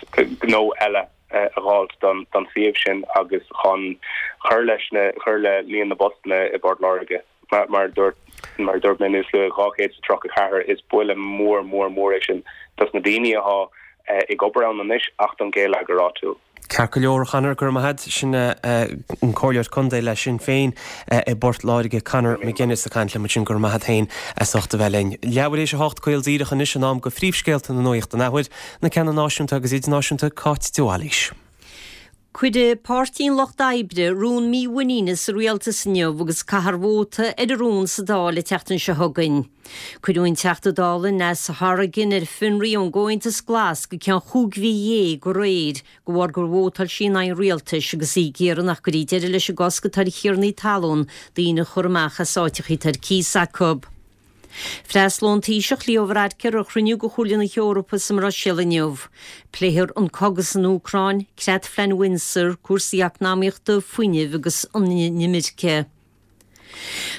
gnó eile a dh'fháilt don don suíomh sin agus chun cur leis na cur le líon na bpostanna i bPort Láirge. Mar mar dúirt mar a dúirt mé níos luaithe dhá chéad is tríocha ceathair is buille mór mór mór é sin dos na daoine atá ag obair ann anois ach don gheilleagar áitiúil. Ceart go leor, a Chonor, go raibh maith agat. Sin an Comhairleoir Contae le Sinn Féin i bPort Láirge, Conor McGuinness ag caint liom ansin. Go raibh maith agat féin as ucht a bheith linn. Leathuair théis a hocht caol díreach anois an am go phríomhscéalta na nuachta an athuair, na ceanna náisiúnta agus idirnáisiúnta, Cáit de Bhailís. Cuirfidh Páirtí an Lucht Oibre rún mímhuiníne sa rialtas inniu agus caithfear vóta ar an rún sa Dáil an tseachtain seo chugainn. Cuireadh an Teachta Dála Neasa Hourigan ar fionraí ón gComhaontas Glas go ceann chúig mhí dhéag aréir de bharr gur vótáil sí in aghaidh an rialtais agus í ag iarraidh nach gcuirfí deireadh leis an gcosc atá ar thiarnaí talún daoine a chur amach as áiteacha atá ar cíos acu. Freastalóidh an Taoiseach Leo Varadkar ar chruinniú de Chomhairle na hEorpa sa mBruiséil inniu. Pléifear an cogadh san Úcráin, Creat-Phlean Windsor, cúrsaí eacnamaíochta, fuinnimh agus an inimirce.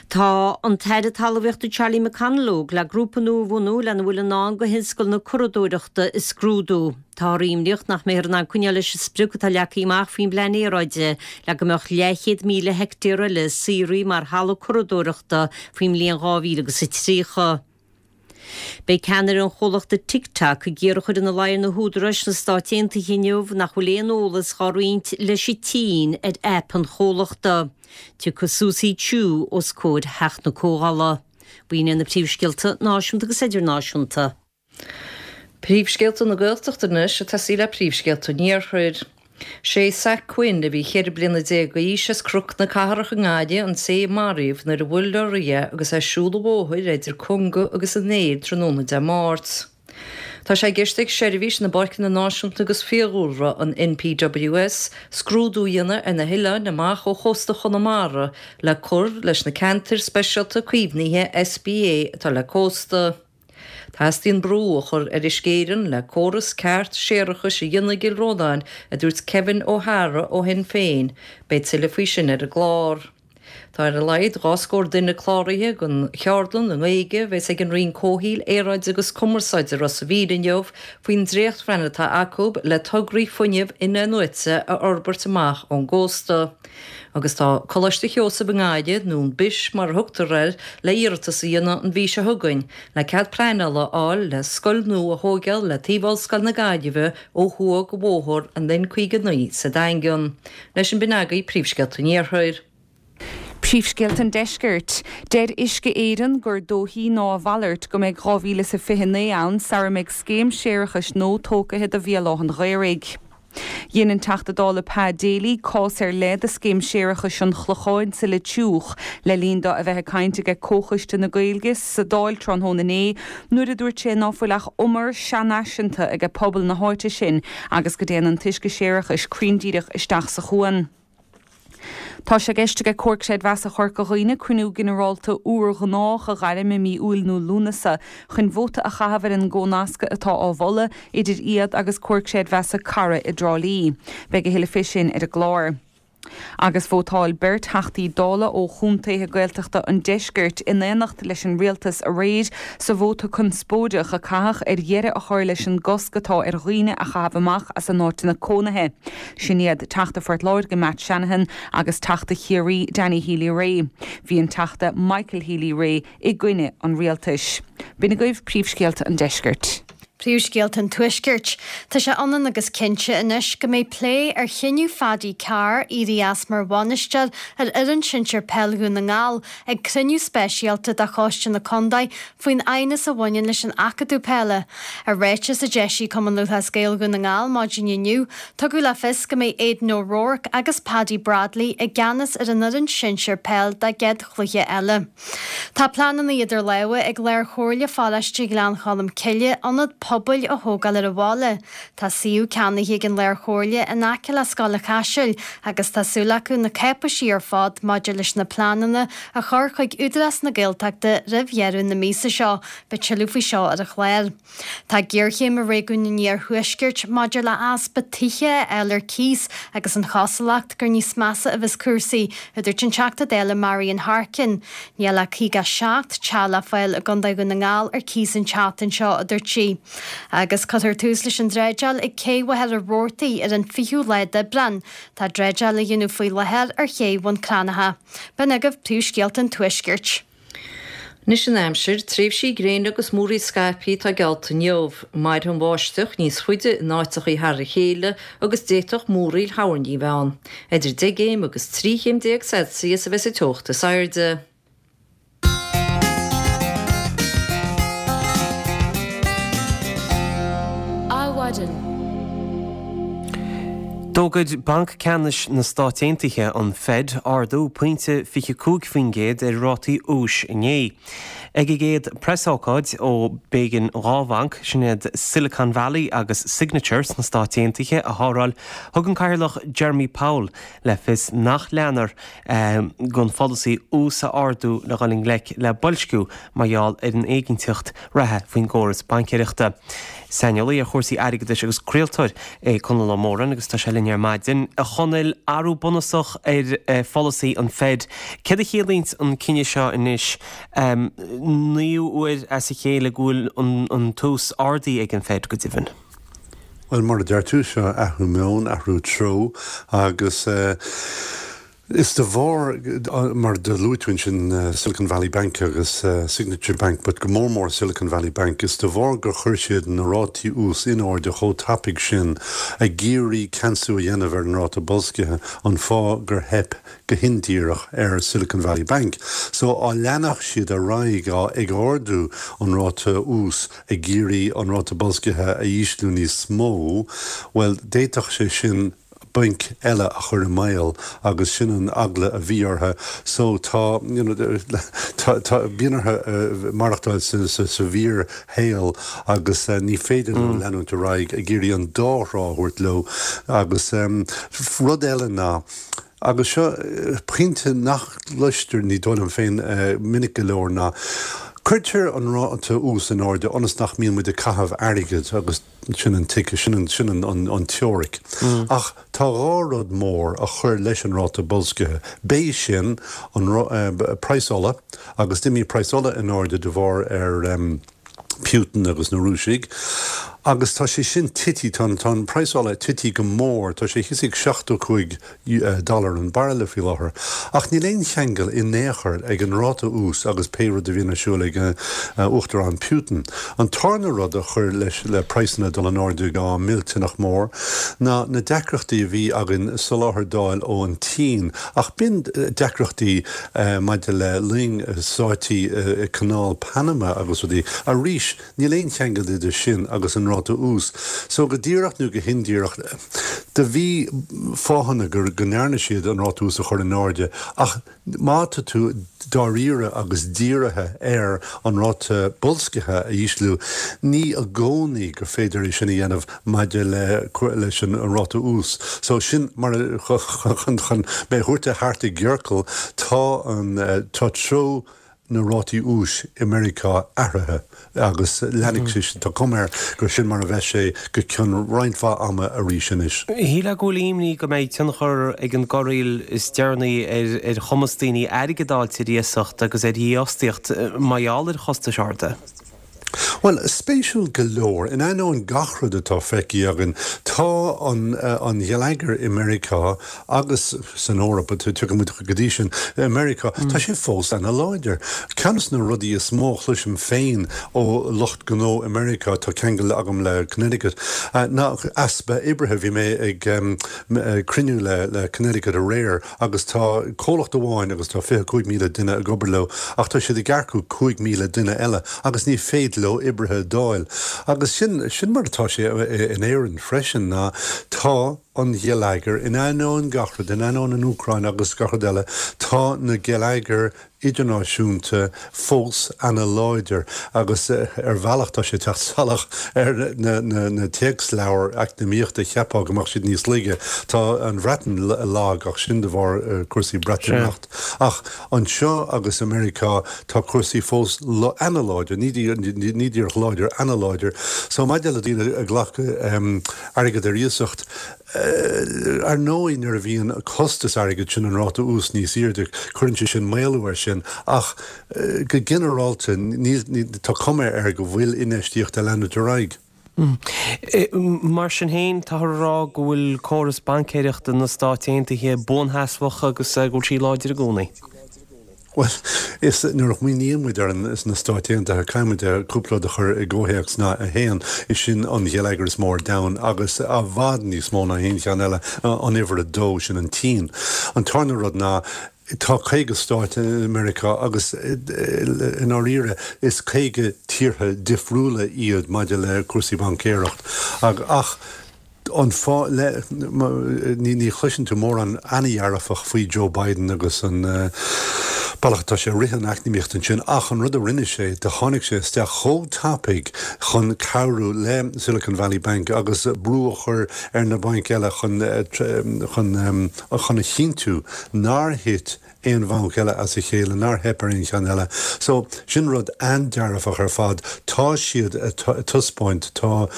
Tá an tAire Talmhaíochta Charlie McConalogue le grúpa nua a bhunú lena bhfuil i ndán do thionscal na curadóireachta a scrúdú. Táthar imníoch nach mbeifear in ann coinneáil leis an sprioc atá leagtha amach faoin bplean aeráide le go mbeadh leathchéad míle heicteár eile saothraithe mar thalamh curadóireachta faoin mbliain dhá mhíle agus a tríocha. Beidh ceannaire an chomhlachta TikTok ag iarraidh a chur ina luí ar na húdaráis sna Stáit Aontaithe inniu nach bhfuil aon eolas dhá roinnt leis an tSín ar aip an chomhlachta. Tiocfaidh Susie Chu os comhair Theach na Comhdhála. B'in iad na príomhscéalta náisiúnta agus idirnáisiúnta. Príomhscéalta na Gaeltachta anois ag tosaí le príomhscéalta an Iarthair. Sé Zach Quinn, a bhí cheithre bliana déag d'aois as Cnoc na Cathrach i nGaillimh, an té a maraíodh nuair a bhuail leoraí é agus é ag siúl an bhóthair idir Conga agus an Aeir tráthnóna Dé Máirt. Tá sé i gceist ag Seirbhís na bPáirceanna Náisiúnta agus Fiadhúlra, an NPWS, scrúdú a dhéanamh ar na hoileáin amach ó chósta Chonamara le cur leis na ceantair speisialta caomhnaithe, SPA, atá le cósta. Teastaíonn brú a chur ar Uisce Éireann le córas ceart séarachais a dhéanamh i gCill Rónáin, a dúirt Kevin O'Hara ó Shinn Féin. Beidh tuilleadh faoi sin ar an gclár. Tá ar a laghad dhá scór duine cláraithe don cheardlann i nGaeilge a bheas ag an Roinn Comhshaoil, Aeráide agus Cumarsáide i Ros a' Mhíl inniu faoin dréachtphlean atá acu le tograí fuinnimh in-athnuaite a fhorbairt amach ón gcósta. Agus tá Coláiste Sheosaimh i nGaillimh, nó an Bish mar a thugtar air, le iarratas a dhéanamh an mhí seo chugainn le cead pleanála a fháil le scoil nua a thóigeáil le taobh Ollscoil na Gaillimhe ó thuaidh de bhóthar an N caoga naoi sa Daingean. Leis an b'in agaibh príomhscéalta an Iarthair. Príomhscéalta an Deiscirt. Deir Uisce Éireann gur dóichí ná a mhalairt go mbeidh dhá mhíle is a fiche naoi ann sara mbeidh scéim séarachais nua tógtha do Bhéal Átha an Ghaorthaidh. Dhein an Teachta Dála Pa Daly cás ar leith de scéim séarachais an Chlocháin sa Leitriúch le linn dó a bheith ag caint aige Comhchoiste na Gaeilge sa Dáil tráthnóna inné nuair a dúirt sé ná fuil ach umar seanfhaiseanta aige pobal na háite sin agus go dtéann an t-uisce séarachais cruinn díreach isteach sa chuan. Tá sé i gceist aige Comhar Creidmheasa Chorca Dhuibhne cruinniú ginearálta úr gnách a ghairm i mí Iúil nó Lúnasa chun vóta a chaitheamh ar an gcónascadh atá á mholadh idir iad agus Comhar Creidmheasa Cara i dTrá Lí. Beidh a thuilleadh faoi sin ar an gclár. Agus vótáil beirt Theachtaí Dála ó chontaetha Gaeltachta an Deiscirt in éineacht leis an rialtas aréir sa vóta conspóideach a caitheadh ar dheireadh a chur leis an gcosc atá ar dhaoine a chaitheamh amach as a n-áiteanna cónaithe. Sin iad Teachta Phort Láirge Matt Shanahan agus Teachta Chiarraí Danny Healy-Rae. Bhí an Teachta Michael Healy-Rae i gcoinne an rialtais. B'in agaibh príomhscéalta an deiscirt. Príomhscéalta an Tuaiscirt. Tá sé ionann agus cinnte anois go mbeidh plé ar chinneadh Phaddy Carr éirí as mar bhainisteoir ar fhoireann sinsir peil Dhún na nGall ag cruinniú speisialta de Choiste na Contae faoin aighneas a bhaineann leis an Acadamh Peile. I ráiteas a d'eisigh Cumann Lúthchleas Gael Dhún na nGall maidin inniu, tugadh le fios go mbeidh Aidan O'Rourke agus Paddy Bradley i gceannas ar an fhoireann sinsir peil dá gcéad chluiche eile. Tá pleananna idir lámha ag Lár-Chomhairle Pharóiste Ghleann Cholm Cille ionad pobail a thógáil ar an bhaile. Tá suíomh ceannaithe ag an Lár-Chomhairle in aice le Scoil an Chaisil agus tá súil acu na cáipéisí ar fad maidir leis na pleananna a chur chuig Údarás na Gaeltachta roimh dheireadh na míosa seo. Beidh tuilleadh faoi seo ar an chlár. Tá géarchéim i réigiún an Iarthuaiscirt maidir le easpa tithe a fháil ar cíos agus an chosúlacht gur níos measa a bheas cúrsaí, a dúirt an Teachta Dála Marian Harkin. Níl ach caoga a seacht teach le fáil i gContae Dhún na nGall ar cíos an tseachtain seo, a dúirt sí. Agus cuirfear tús leis an dreideáil ag Cé Mhachaire Rabhartaigh ar an fichiú lá d'Aibreán. Tá dreideáil á dhéanamh faoi láthair ar Ché Bhun Cranncha. B'in agaibh príomhscéalta an Tuaiscirt. Anois an aimsir, tréimhsí gréine agus múraíl scaipthe atá geallta inniu. Mairfidh an bháisteach níos faide in áiteachaí thar a chéile agus d'fhéadfadh múraíl thoirní a bheith ann. Idir deich gcéim agus trí chéim déag Celsius a bheas an teocht is airde. Adhmhaidin. D'fhógair Banc Ceannais na Stát Aontaithe, an Fed, ardú pointe fiche cúig faoin gcéad ar rátaí úis inné. Ag a gcéad preasócáid ó b'éigean dhá bhanc, sin iad Silicon Valley agus Signature sna Stáit Aontaithe, a shábháil, thug an Cathaoirleach Jeremy Powell le fios nach leanfar den pholasaí ús a ardú le dhul i ngleic le boilsciú mar gheall ar an éiginnteacht reatha faoin gcóras baincéireachta. Saineolaí ar chúrsaí airgeadais agus craoltóir é Conall Ó Móráin agus tá sé linn ar maidin. A Chonaill, athrú bunúsach ar pholasaí an Fed. Céard a chiallaíonns an cinneadh seo anois, naoú huair as a chéile go bhfuil an t-ús ardaithe ag an Fed go deimhin? Bhuel, mar a deir tú, seo athrú meoin, athrú treo agus is de bharr, mar do luaigh tú ansin Silicon Valley Bank agus Signature Bank, but go mór mór Silicon Valley Bank, is de bharr gur chuir siad na rátaí ús in airde chomh tapaidh sin ag iarraidh ceansú a dhéanamh ar an ráta boilscithe, an fáth gur theip go hindíreach ar Silicon Valley Bank. So á leanfadh siad ar aghaidh á ag ardú an ráta ús ag iarraidh an ráta boilscithe a ísliú níos mó, bhuel d'fhéadfadh sé sin bainc eile a chur i mbaol agus sin an eagla a bhí orthu. So tá, you know, tá, tá, bíonn orthu maireachtáil sa, sa, sa bhfíorshaol agus ní féidir leo leanúint ar aghaidh ag iarraidh an dá thrá a thabhairt leo agus rud eile ná, agus seo pointe nach gcloistear, ní dóigh liom féin, minic go leor ná, cuirtear an ráta ús in airde ionas nach mbíonn muid ag caitheamh airgid agus sin an tic, sin an, sin an, an, an teoiric. Ach tá dhá rud mór a chuir leis an ráta boilscithe. B'é sin an praghas ola agus d'imigh praghas ola in airde de bharr ar Putin agus na Rúisigh agus tá sé sin tití, tá tá an praghas ola tití go mór, tá sé thíos ag seachtó cúig dollar an bairille faoi láthair. Ach níl aon cheangal in aon chor ag an ráta ús agus pé rud a bhíonn ar siúl ag Uachtarán Putin. An tarna rud a chuir leis le praghsanna dul in airde go millteanach mór ná na deacrachtaí a bhí againn soláthar d'fháil ón tSín. Ach b'in deacrachtaí maidir le loing sáite i Canáil Panama agus rudaí. Arís, níl aon cheangal idir sin agus an ráta ús. So go díreach nó go hindíreach, do bhí fáthanna go ndearna siad an ráta ús a chur in airde ach má tá tú dáiríre agus dírithe ar an ráta boilscithe a ísliú, ní i gcónaí gur féidir é sin a dhéanamh maidir le leis an ráta ús. So sin mar chun chun mé a thabhairt thart i gciorcal, tá an tá treo na rátaí úis i Meiriceá athraithe agus leanfaidh sé sin, tá cuma air gur sin mar a bheidh sé go ceann roinnt mhaith ama arís anois. Shílfeá go bhfuil imní go mbeidh tionchar ag an gcorraíl is deireanaí ar chumas daoine airgead a fháilt ar iasacht agus ar dhífhostaíocht mar gheall ar chostais arda. Bhuel, spéisiúil go leor, in ainneoin gach rud atá feicthe againn, tá an an geilleagar i Meiriceá agus san Eoraip, tiocfaidh muid go dtí sin, i Meiriceá, tá sé fós ana-láidir. Ceann de na rudaí is mó a chloisim féin ó lucht gnó i Meiriceá, tá ceangal agam le Connecticut, ná easpa oibrithe. Bhí mé ag cruinniú le le Connecticut aréir agus tá comhlacht amháin agus tá fiche cúig míle duine ag obair leo ach tá siad ag earcú cúig míle duine eile agus ní féidir leo oibrithe a d'fháil. Agus sin, sin mar atá sé in Éirinn freisin, ná tá an geilleagar, in ainneoin gach rud, in ainneoin an Úcráin agus gach rud eile, tá na geilleagair idirnáisiúnta fós ana-láidir agus ar bhealach tá sé ag teacht salach ar na, na, na téacsleabhair eacnamaíochta, cheapfá go mbeadh siad níos laige. Tá an Bhreatain lag ach sin de bharr cúrsaí Breatimeacht. Ach anseo agus i Meiriceá tá cúrsaí fós ana-láidir, ní díreach láidir, ana-láidir. So maidir le daoine ag glacadh airgead ar iasacht, ar ndóigh nuair a bhíonn costas airgid, sin an ráta ús níos airde, cuireann sé sin maolú air sin ach go ginearálta níl, tá cuma air go bhfuil infheistíocht ag leanúint ar aghaidh. Mar sin féin, táthar a rá go bhfuil córas baincéireachta na Stát Aontaithe buansheasmhach agus go bhfuil sí láidir i gcónaí. Bhuel, is nuair a smaoiníonn muid ar na Stáit Aontaithe, caithfidh muid cúpla rud a chur i gcomhthéacs ná a haon, is sin an gheilleagar is mó ar domhan agus i bhfad níos mó ná aon cheann eile, an uimhir a dó, sin an tSín. An tarna rud ná, Tá caoga stát i Meiriceá agus i ndáiríre is caoga tíortha difriúla iad maidir le cúrsaí baincéireacht. Ach an fáth le, ní chloiseann tú mórán ana-dhearfach faoi Joe Biden agus an bealach atá sé ag rith an eacnamaíocht ansin ach an rud a rinne sé, do tháinig sé isteach chomh tapaidh chun cabhrú le Silicon Valley Bank agus brú a chur ar na bainc eile chun chun chun a chinntiú nár thit aon bhanc eile as a chéile, nár theip ar aon cheann eile. So, sin rud an-dearfach ar fad. Tá siad ag taispeáint, tá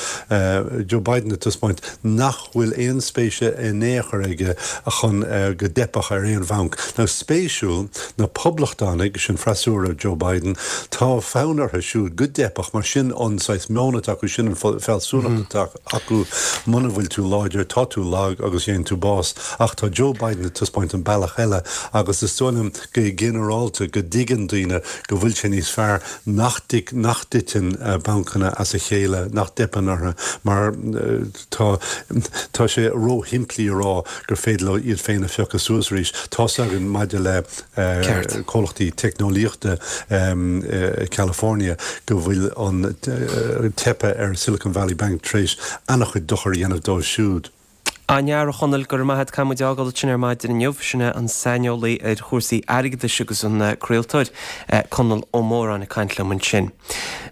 Joe Biden ag taispeáint nach bhfuil aon spéis in aon chor aige chun go dteipfeadh ar aon bhanc. Now, spéisiúil, na Poblachtánaigh, sin freasúra Joe Biden, tá fonn orthu siúd go dteipfeadh, mar sin an saghas meon atá acu, sin an fealsúnacht atá acu, muna bhfuil tú láidir, tá tú lag agus gheobhaidh tú bás. Ach tá Joe Biden ag taispeáint an bealach eile agus is dóigh liom go ginearálta go dtuigeann daoine go bhfuil sé níos fearr nach nach dtiteann bancanna as a chéile, nach dteipeann orthu mar tá tá sé róshimplí a rá gur féidir leo iad féin a phiocadh suas arís. Tá's againn maidir le comhlachtaí teicneolaíochta i California go bhfuil an teipeadh ar Silicon Valley Bank tar éis an-chuid dochair a dhéanamh dóibh siúd. An-fhear, a Chonaill, go raibh maith a't. Caithfidh muid é a fhágáil ansin ar maidin inniu. Sin é an saineolaí ar chúrsaí airgeadais agus an craoltóir, Conall Ó Móráin ag caint liom ansin.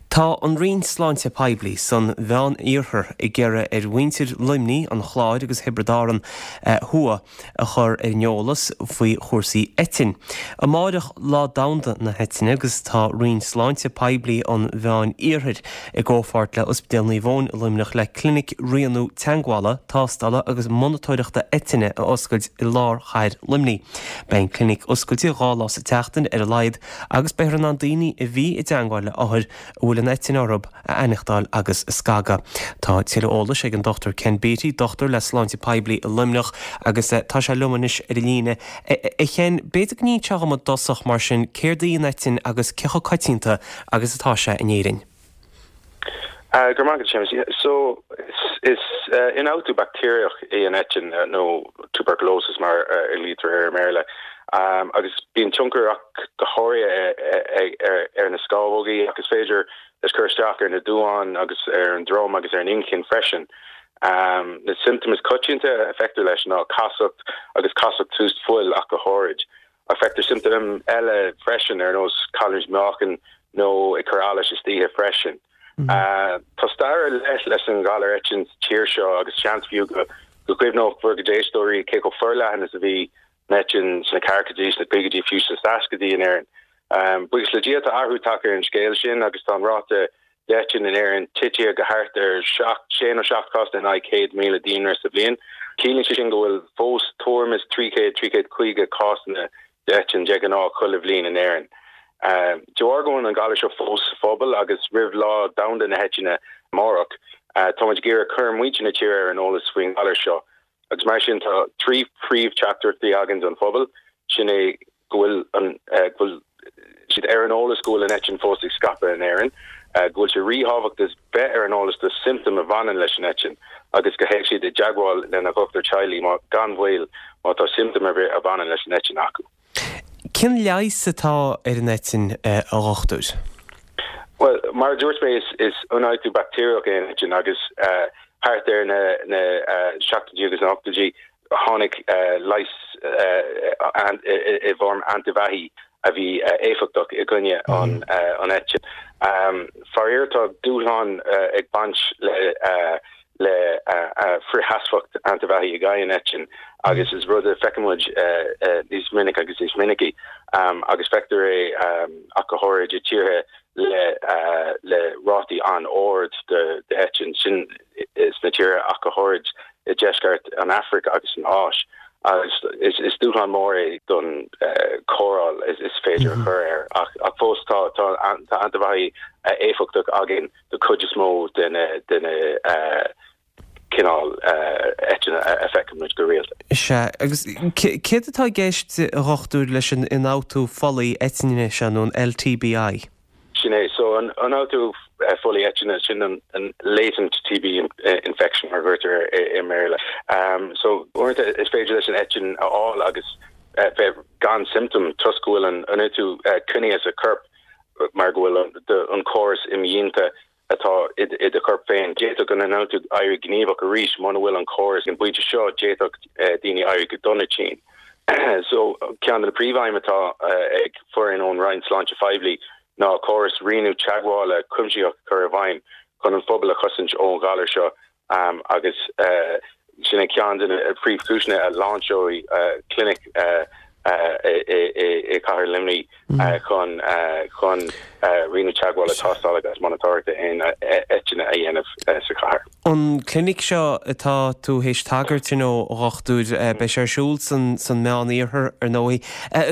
Tá an Roinn Sláinte Poiblí san Mheán-Iarthar ag iarraidh ar mhuintir Luimnigh, an Chláir agus Thiobraid Árann Thuaidh a chur ar an eolas faoi chúrsaí eitinn. Amáireach Lá Domhanda na hEitinne agus tá Roinn Sláinte Poiblí an Mheán-Iarthair i gcomhpháirt le Ospidéal Naomh Eoin i Luimneach le clinic rianú teagmhála, tástála agus monatóireachta eitinne a oscailt i lár chathair Luimnigh. Beidh an clinic oscailte dhá lá sa tseachtain ar a laghad agus beifear in ann daoine a bhí i dteagmháil le othair a bhfuil an eitinn orthu a aithneachtáil agus a scagadh. Tá tuilleadh eolais ag an Dochtúir Ken Beattie, dochtúir le Sláinte Poiblí i Luimneach agus tá sé liom anois ar an líne. A Ken, b'fhéidir go n-inseofá dhom i dtosach mar sin céard í an eitinn agus cé chomh coitianta agus atá sé in Éirinn? Go raibh maith agat, Séamus. So, is ionfhabhtú baictéarach é an eitinn, nó tuberculosis mar a ghlaoitear air i mBéarla, agus bíonn tionchar ach go háirithe ar na scamhógaí ach is féidir leis cur isteach ar na duáin agus ar an droim agus ar an inchinn freisin. Na siomptóim is coitianta a feictear leis ná casacht agus casacht suas fuil ach go háirid. Ach feictear siomptóim eile freisin ar nós cailliúint meáchain nó ag cur allais istoíche freisin. Tá stair ar leith leis an ghalar eitinn sa tír seo agus seans fiú go gcuimhneodh bhur gcuid éisteoirí cé chomh forleathan is a bhí an eitinn sna ceathrachaidí, sna caogaidí, fiú sna seascaidí in Éirinn. Buíochas le Dia tá athrú tagtha ar an scéal sin agus tá an ráta d'eitinn in Éirinn tite go thart ar seacht, sé nó seacht cás in aghaidh céad míle daonra sa bhliain. Ciallaíonn sé sin go bhfuil fós tuairim is trí chéad, trí chéad caoga cásanna d'eitinn de ghnáth chuile bhliain in Éirinn. De bharr go bhfuil an galar seo fós sa phobal agus roimh Lá Domhanda na hEitinne amárach, tá muid ag iarraidh cur muintir na tíre ar an eolas faoin ghalar seo. Agus mar sin tá trí phríomh-teachtaireachtaí againn don phobal, sin é go bhfuil an go bhfuil siad ar an eolas go bhfuil an eitinn fós ag scaipeadh in Éirinn, go bhfuil sé ríthábhachtach bheith ar an eolas do siomptóim a bhaineann leis an eitinn agus go théadh siad i dteagmháil lena dhochtúir teaghlaigh má gan mhoill má tá siomptóim ar bith a bhaineann leis an eitinn acu. Cén leigheas atá ar an eitinn, a dhochtúir? Bhuel, mar a dúirt mé, is ionfhabhtú baictéarach é an eitinn agus thart ar na na seachtóidí agus na hochtóidí tháinig leigheas i bhfoirm antaibheathaí a bhí éifeachtach i gcoinne an eitinn. Faraor tá dúshlán ag baint le le frithsheasmhacht antaibheathaí i gcoinne an eitinn agus is rud a feiceann muid níos minice agus níos minicí agus feictear é ach go háirid i tíortha le le rátaí an-ard d'eitinn, sin sna tíortha ach go háirid i deisceart an Afraic agus san Áis agus is dúshlán mór é don chóireáil is féidir a chur air ach fós tá tá antaibheathaí éifeachtach againn do chuid is mó de na de na cineál eitinne a feiceann muid go rialta. Sea, agus céard atá i gceist, a dhochtúir, leis an ionfhabhtú folaigh eitinne seo, nó an L T B I? Sin é. So an ionfhabhtú folaigh eitinne, sin an latent T B infection mar a deirtear i mBéarla. So uaireanta is féidir leis an eitinn a fháil agus bheith gan siomptóim toisc go bhfuil an ionfhabhtú coinnithe sa chorp mar go bhfuil an córas imdhíonta atá i do chorp féin. D'fhéadfadh an ionfhabhtú éirí gníomhach arís muna bhfuil an córas ag an bpointe seo d'fhéadfadh daoine éirí go dona tinn. So ceann de na príomhaidhm atá ag foireann ón Roinn Sláinte Phoiblí ná córas rianú teagmhála cuimsitheach a chur i bhfeidhm chun an phobal a chosaint ón ghalar seo agus sin é ceann de na príomhchúiseanna a lainseoidh clinic i gcathair Luimnigh chun chun rianú teagmhála, tástála agus monatóireachta aon eitinne a dhéanamh sa chathair. An clinic seo atá tú théis tagairt dó, a dhochtúir, beidh sé ar siúl san san Meán-Iarthar ar ndóigh.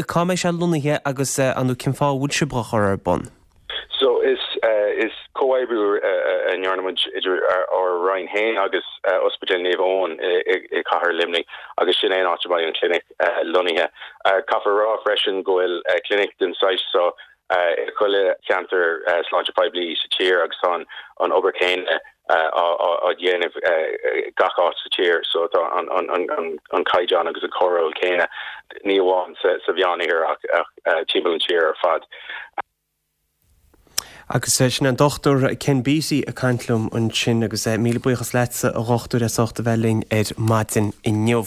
Cá mbeidh sé lonnaithe agus an cén fáth a bhfuil sibh á chur ar bun? So is is comhoibriú a ndearna muid idir ár Roinn féin agus Ospidéal Naomh Eoin i gcathair Luimnigh agus sin é an áit a mbeidh an clinic lonnaithe. Caithfear a rá freisin go bhfuil clinic den saghas seo i chuile cheantar sláinte poiblí sa tír agus tá an obair chéanna á dhéanamh gach áit sa tír so tá an caighdeán agus an chóireáil céanna ní amháin sa Mheánoirthear ach timpeall an tír ar fad. Agus sin an Dochtúir Ken Beattie ag caint liom ansin agus míle buíochas leatsa a dhochtúir as ucht a bheith linn ar maidin inniu.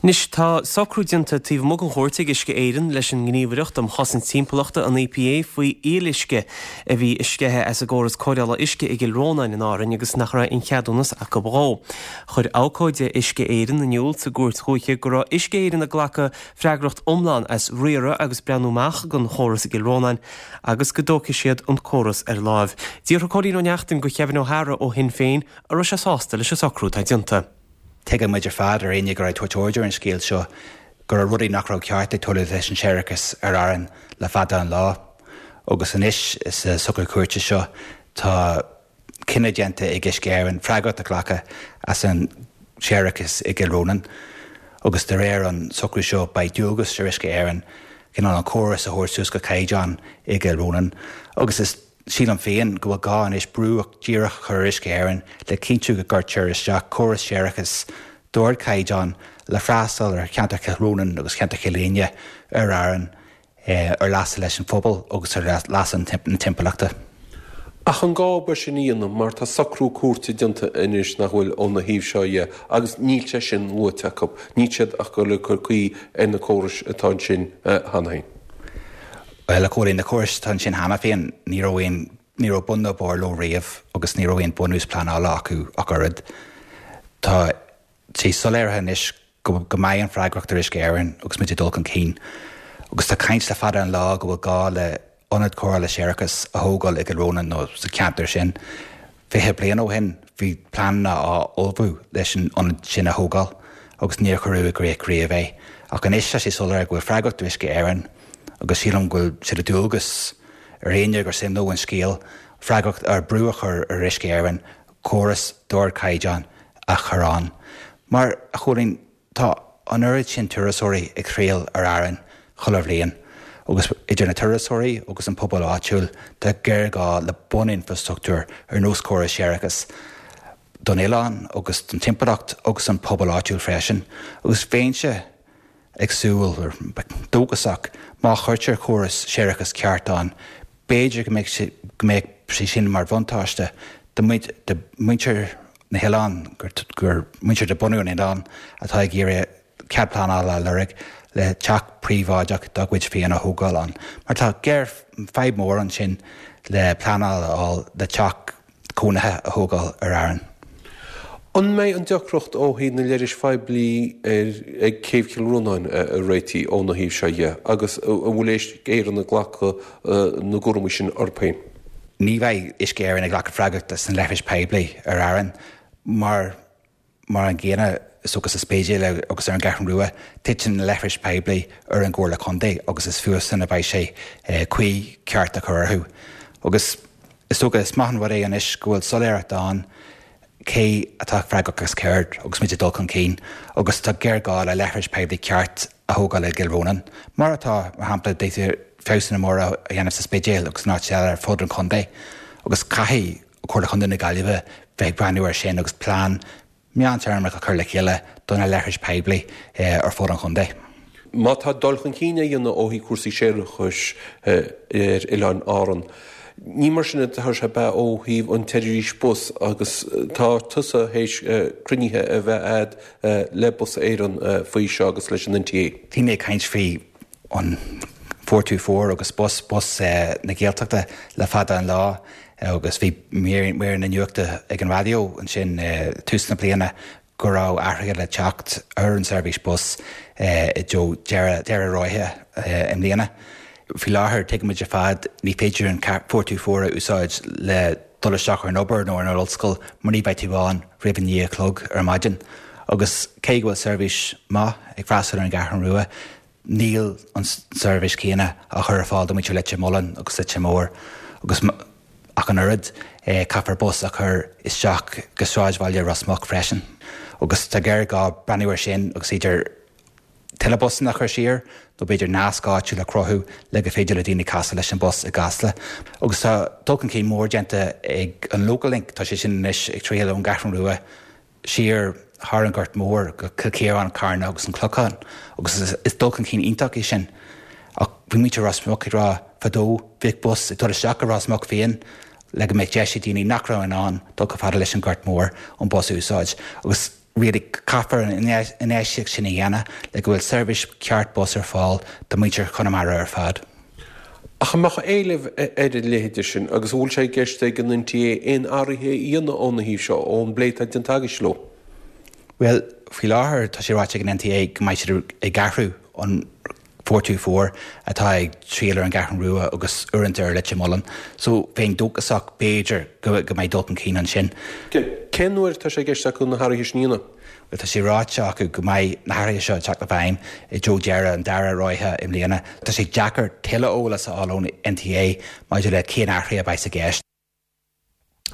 Anois tá socrú déanta taobh amuigh den chúirt ag Uisce Éireann leis an nGníomhaireacht um Chosaint Timpeallachta, an E P A, faoi fhuíolluisce a bhí ag sceitheadh as an gcóras cóireála uisce i gCill Rónáin in Árainn agus nach raibh aon cheadúnas acu dhó. Chuir abhcóide Uisce Éireann in iúl sa gcúirt dhúiche go raibh Uisce Éireann ag glacadh freagracht iomlán as riaradh agus breathnú amach don chóras i gCill Rónáin agus go dtógfaidh siad an córas ar láimh. D'fhiafraigh Cóilín Ó Neachtain de Kevin O'Hara ó Shinn Féin an raibh sé sásta leis an socrú atá déanta. Tuigeann muid ar fad ar éinne go raibh tabhairt ar an scéal seo go raibh rudaí nach raibh ceart ag tarlú leis an séarachas ar Árainn le fada an lá. Agus anois sa socrú cúirte seo tá cinneadh déanta ag Uisce Éireann freagracht a ghlacadh as an séarachas i gCill Rónáin. Agus de réir an socrú seo beidh dualgas ar Uisce Éireann cineál an córas a thabhairt suas go caighdeán i gCill Rónáin. Agus is sílim féin go bhfuil gá anois brú díreach chur Uisce Éireann le cinntiú go gcuirtear isteach córas séarachais d'ardchaighdeán le freastal ar cheantar Chill Rónáin agus cheantar Chill Éinne ar Árainn ar leasa leis an phobal agus ar leasa na timpeallachta. Ach an gá ba sin dhéanamh mar tá socrú cúirte déanta anois nach bhfuil óna thaobh seo dhe agus níl sé sin luaite acu, Níl siad ach go le cur caoi ar na córais atá ansin cheana féin. Well a Chóilín na córais atá ansin cheana féin ní raibh aon ní raibh bun ná barr leo riamh agus ní raibh aon bunús pleanála acu ach oiread. Tá sé soiléirithe anois go go mbeidh an freagracht ar Uisce Éireann agus muid ag dul chun cinn. Agus tá caint le fada an lá go bhfuil gá le ionad cóireála séarachais a thógáil i gCill Rónáin nó sa cheantar sin. Fiche bliain ó shin bhí pleananna á ullmhú leis an ionad sin a thógáil agus níor cuireadh i gcrích riamh é. Ach anois tá sé soiléir go bhfuil freagracht ar Uisce Éireann agus sílim go bhfuil sé de dhualgas ar éinne gur suim leo an scéal freagracht ar brú a chur ar Uisce Éireann córas d'ardchaighdeán a chur ann. Mar, a Chóilín, tá an oiread sin turasóirí ag triall ar Árainn chuile bhliain, agus idir na turasóirí agus an pobal áitiúil, tá géarghá le buninfrastruchtúr ar nós córas séarachais don oileán agus don timpeallacht agus an pobal áitiúil freisin. Agus bheinnse ag súil, dóchasach, má chuirtear córas séarachais ceart ann, b'fhéidir go mbeidh sé, go mbeadh sé sin mar bhuntáiste do mhuintir na hoileán, gur muintir de bunadh an oileáin atá ag iarraidh cead pleanála a lorg le teach príobháideach dá gcuid féin a thógáil ann. Mar tá géar, fadhb mhór ansin le pleanáil a fháil le teach cónaithe a thógáil ar Árainn. An mbeidh an deacracht ó thaobh na leithris phoiblí ar ag Céibh Chill Rónáin réitithe óna thaobh seo dhe agus an bhfuil Uisce Éireann ag glacadh na gcúraimí sin orthu féin? Ní bheidh Uisce Éireann ag glacadh freagrachta as na leithris poiblí ar Árainn mar mar an gcéanna is dócha sa Spidéal agus ar an gCeathrú Rua, titeann na leithris poiblí ar an gComhairle Contae agus is fúthusan a bheidh sé caoi ceart a chur orthu. Agus is dócha is maith an rud é anois go bhfuil soiléireacht ann cé atá freagrach as céard agus muid ag dul chun cinn agus tá géarghá le leithris poiblí ceart a thógáil i gCill Rónáin, mar atá, mar shampla, d'fhéadfaí feabhsanna móra a dhéanamh sa Spidéal agus in áit eile ar fud an chontae agus caithfidh Comhairle Chontae na Gaillimhe bheith ag breathnú air sin agus plean meántéarmach a chur le chéile do na leithris poiblí ar fud an chontae. Má tá dul chun cinn á dhéanamh ó thaobh cúrsaí séarachais ar Oileáin Árann, ní mar sin atá sé ab ea ó thaobh an tseirbhís bus agus tá tusa théis cruinnithe a bheith a'd le Bus Éireann faoi seo agus leis an N T A. Bhí mé ag caint faoi an four two four agus bus, bus na Gaeltachta le fada an lá agus bhí mír míreanna nuachta ag an raidió ansin tús na bliana go raibh athruithe le teacht ar an seirbhís bus i dtreo deireadh deireadh ráithe i mbliana. Faoi láthair, tuigimid ar fad, ní féidir an four two four a úsáid le dul isteach ar an obair nó ar an ollscoil mar ní bheidh tú ann roimh a naoi a chlog ar maidin. Agus cé go bhfuil seirbhís maith ag freastal ar an gCeathrú Rua, níl an seirbhís chéanna á chur ar fáil do mhuintir Leitir Mealláin agus Leitir Móir agus ach an oiread, caithfear bus a chur isteach go sráidbhaile Ros Muc freisin. Agus tá géarghá breathnú air sin agus idir tuilleadh busanna a chur siar nó b'fhéidir nasc áitiúil a chruthú le go féidir le daoine casadh leis an bus i gCasla. Agus tá dul chun cinn mór déanta ag an Local Link, tá sé sin anois ag triall ón gCeathrú Rua siar thar an Gort Mór go Cill Chiaráin, Carna agus an Clochán agus is dul chun cinn iontach é sin. Ach bhí muintir Ros Muc ag rá fadó, bhíodh bus ag dul isteach go Ros Muc féin le go mbeadh deis ag daoine nach raibh in ann dul chomh fada leis an Gort Mór an bus a úsáid. Agus really caithfear an infheistíocht sin a dhéanamh le go bhfuil seirbhís ceart bus ar fáil do mhuintir Chonamara ar fad. Ach an mbeadh éileamh ar a leithéide sin agus an bhfuil sé i gceist ag an N T A aon athruithe a dhéanamh óna thaobh seo, ón bplé atá déanta agaibhse leo? Bhuel, faoi láthair tá sé ráite ag an N T A go mbeidh siad ag athrú an four two four atá ag triall ar an gCeathrú Rua agus uaireanta ar Leitir Mealláin. So bheinn dóchasach b'fhéidir go go mbeidh dul chun cinn ansin. Cén uair atá sé i gceist acu na hathruithe sin a dhéanamh? Bhuel, tá sé ráite acu go mbeidh na hathruithe seo ag teacht i bhfeidhm i dtreo deireadh an dara ráithe i mbliana. Tá sé deacair tuilleadh eolas a fháil ón N T A maidir le cén athruithe a bheidh i gceist.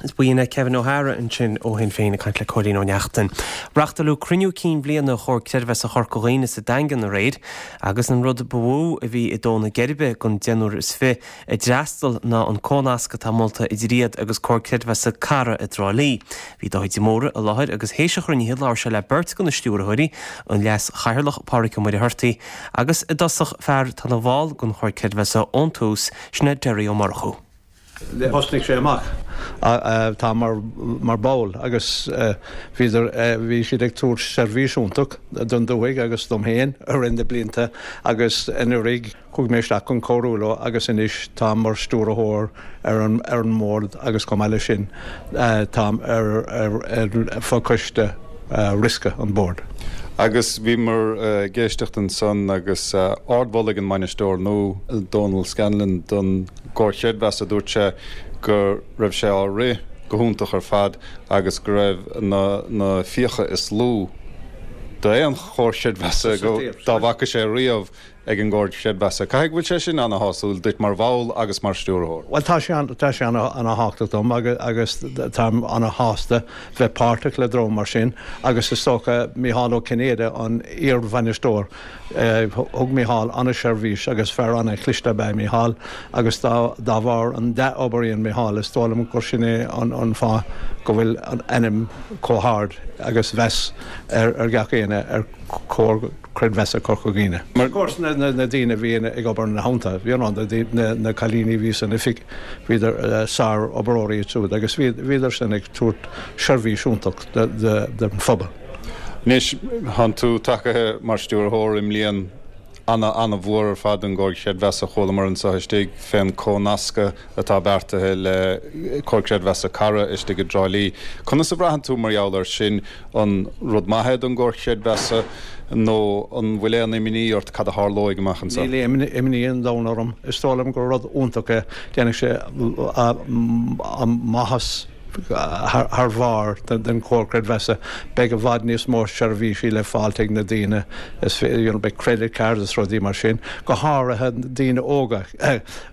Is buíon le Kevin O'Hara ansin ó Shinn Féin ag caint le Cóilín Ó Neachtain. Reáchtáladh cruinniú cinn bhliana Chomhar Creidmheasa Chorca Dhuibhne sa Daingean aréir agus an rud ba mhó a bhí ag dó na geirbe don deichniúr is fiche a d'fhreastail ná an comhnasc atá molta idir iad agus Comhar Creidmheasa Cara i dTrá Lí. Bhí Dáithí de Mórdha i láthair agus théis an chruinnithe labhair sé le beirt de na stiúrthóirí, an Leas-Chathaoirleach Pádraig Ó Muircheartaigh agus i dtosach fear atá ina bhall den Chomhar Creidmheasa ón tús, sin é Derry Ó Murchú. Thosnaigh sé amach tá mar mar ball agus bhíodar bhí siad ag tabhairt seirbhís iontach don dúthaigh agus dom féin i rith na blianta agus anuraidh chuaigh mé isteach chun cabhrú leo agus anois táim mar stiúrthóir ar an ar an mbord agus chomh maith leis sin táim ar ar ar fochoiste riosca an bord. Agus bhíomar ag éisteacht ansan agus ardmholadh ag an mbainisteoir nua, Dónal Scanlon, don gComhar Creidmheasa. Dúirt sé go raibh sé á rith go hiontach ar fad agus go raibh na fiacha is lú d'aon chomhar creidmheasa dá bhfaca sé riamh ag an gComhar Creidmheasa. Caithfidh go bhfuil sé sin ana-shásúil duit mar bhall agus mar stiúrthóir? Bhuel, tá sé tá sé ana-thábhachtach dom agus táim ana-shásta bheith páirteach le dream mar sin agus is dócha Mícheál Ó Cinnéide, an iar-bhainisteoir, thug Mícheál ana-sheirbhís agus fear ana-chliste ab ea Mícheál agus dá dá bharr an dea-obair a dhein Mícheál is dóigh liom gur sin é an an fáth go bhfuil an ainm chomh hard agus mheas ar ar gach éinne ar Comhar Creidmheasa Corca Dhuibhne. Of course na daoine a bhí ag obair ina theannta, you know, na cailíní a bhí san oifig, bhíodar sár-oibreoirí iad siúd agus bhíodar sin ag tabhairt seirbhís iontach don phobal. Anois, thánn tú tagaithe mar stiúrthóir i mbliain ana-ana-mhór ar fad don gComhar Creidmheasa. Chualamar anseo istigh fén comhnascadh atá beartaithe le Comhar Creidmheasa Cara istigh i dTrá Lí. Conas a bhraitheann tú mar gheall air sin? An rud maith é don gComhar Creidmheasa nó an bhfuil aon imní ort cad a tharlóidh amach anseo? Níl aon imní an domhain orm. Is dóigh liom gur rud iontach é. Déanfaidh sé maitheas thar bharr den Chomhar Creidmheasa. Beidh i bhfad níos mó seirbhísí le fáilt ag na daoine, is you know, beidh credit cards is rudaí mar sin, go háirithe daoine óga.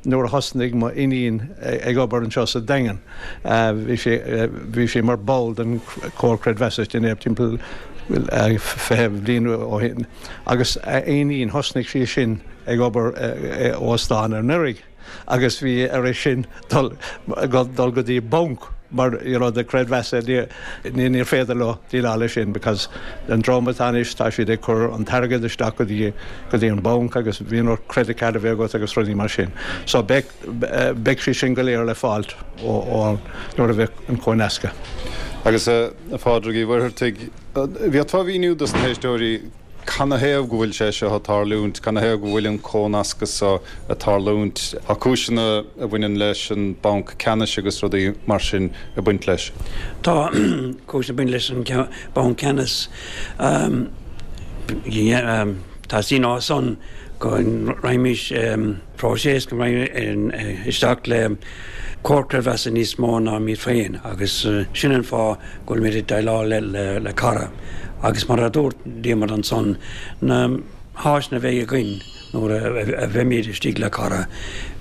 Nuair a thosnaigh mo iníon ag obair anseo sa Daingean, bhí sí bhí sí mar ball den Chomhar Creidmheasa sin timpeall fiche bliain ó shin agus a iníon thosnaigh sí sin ag obair i óstán anuraidh. agus bhí uirthi sin dul dul go dtí banc mar you know the creidmheasa ní níor féidir leo déileáil leis sin because an dream atá anois tá siad ag cur an t-airgead isteach go dtí go dtí an banc agus bhíonn ort credit card a bheith agat agus rudaí mar sin. So beidh beidh sé sin go léir le fáilt ó ó nuair a bheidh an comhnascadh. Agus a Phádraig Uí Mhuircheartaigh, an bhféadfá a mhíniú dos na héisteoirí Canathaobh go bhfuil sé seo ag tarlúint? Canathaobh go bhfuil an comhnascadh seo ag tarlúint? Tá cúiseanna a bhaineann leis an Banc Ceannais agus rudaí mar sin ag baint leis. Tá cúiseanna ag baint leis an Banc Ceannais. Teastaíonn ó san go raghaimís próiseas, go raghaimís isteach le comhar creidmheasa níos mó ná iad féin agus sin an fáth go bhfuilimid ag déileáil le Cara agus mar a dúirt Diarmuid ansan, na háiseanna a bheidh againn nuair a bheimid istigh le Cara,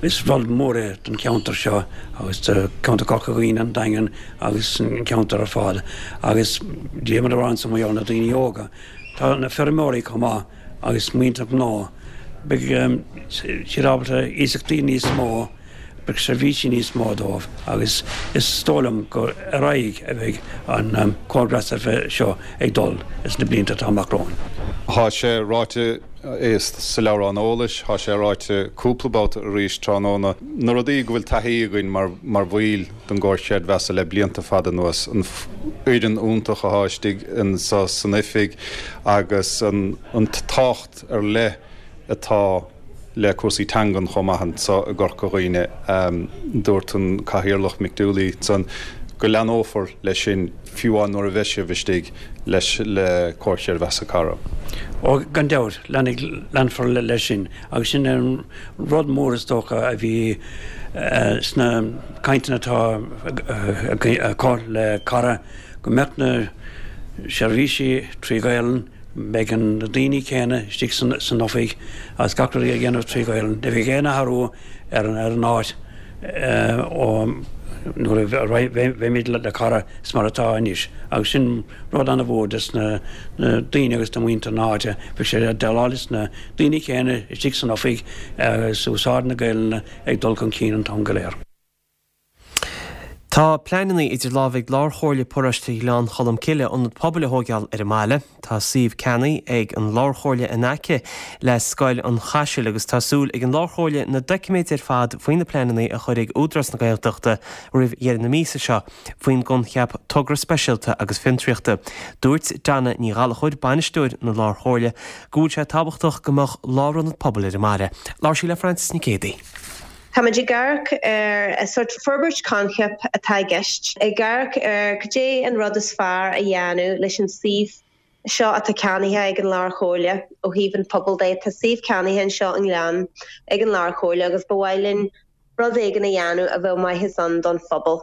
is rud mór é don cheantar seo agus do cheantar Chorca Dhuibhne, an Daingean agus an ceantar ar fad agus Diarmuid a rá ansan mar gheall ar na daoine óga, tá na feirmeoirí chomh maith agus muintir gnó, beidh siad ábalta iasachtaí níos mó. Beidh seirbhísí níos mó dóibh agus is dóigh liom gur ar aghaidh a bheidh an comhar creidmheasa seo ag dul sna blianta atá amach romhainn. Tá sé ráite sa leabhrán eolais, tá sé ráite cúpla babhta arís tráthnóna, na rudaí go bhfuil taithí againn mar mar bhaill den gComhar Creidmheasa le blianta fada anuas, an fhoireann iontach atá istigh anso san oifig agus an an tábhacht ar leith atá le cúrsaí teangan chomh maith anso i gCorca Dhuibhne. Dúirt an Cathaoirleach Mick Dooley ansan go leanófar leis sin fiú amháin nuair a bheidh sibh istigh leis le Comhar Creidmheasa Cara. Ó, gan dabht, leanfaidh, leanfar leis sin agus sin an rud mór is dócha a bhí sna cainteanna atá acu le Cara, go mbeadh na seirbhísí trí Ghaelainn, Beidh na daoine céanna istigh san oifig agus gach rud á dhéanamh trí Ghaelainn. Ní bheidh aon athrú ar an áit ó nuair a bheimid le Cara is mar atá anois agus sin rud an-mhór dos na daoine agus do mhuintir na háite. Beidh siad ag déileáil leis na daoine céanna istigh san oifig agus úsáid na Gaelainne ag dul chun cinn an t-am go léir. Tá pleananna idir lámha ag Lárchomhairle Paróiste Ghleann Cholm Cille ionad pobail a thóigeáil ar an mbaile. Tá suíomh ceannaithe ag an Lárchomhairle in aice le Scoil an Chaisil agus tá súil ag an Lárchomhairle na doiciméid ar fad faoi na pleananna a chur ag Údarás na Gaeltachta roimh dheireadh na míosa seo faoin gcoincheap Togra Speisialta agus Fiontraíochta. Dúirt Donna Ní Ghallchóir, bainisteoir na Lárchomhairle, go bhfuil sé tábhachtach go mbeadh lárionad pobail ar an mbaile. Labhair sí le Frances Nic Géadaigh. Táimid ag amharc ar sort forbairt coincheap atá i gceist, ag amharc ar cad é an rud is fearr a dhéanamh leis an suíomh seo atá ceannaithe ag an Lár-Chomhairle ó thaobh an phobail de. Tá suíomh ceannaithe anseo i nGleann ag an Lár-Chomhairle agus ba mhaith linn rud éigin a dhéanamh a bheadh maitheas ann don phobal.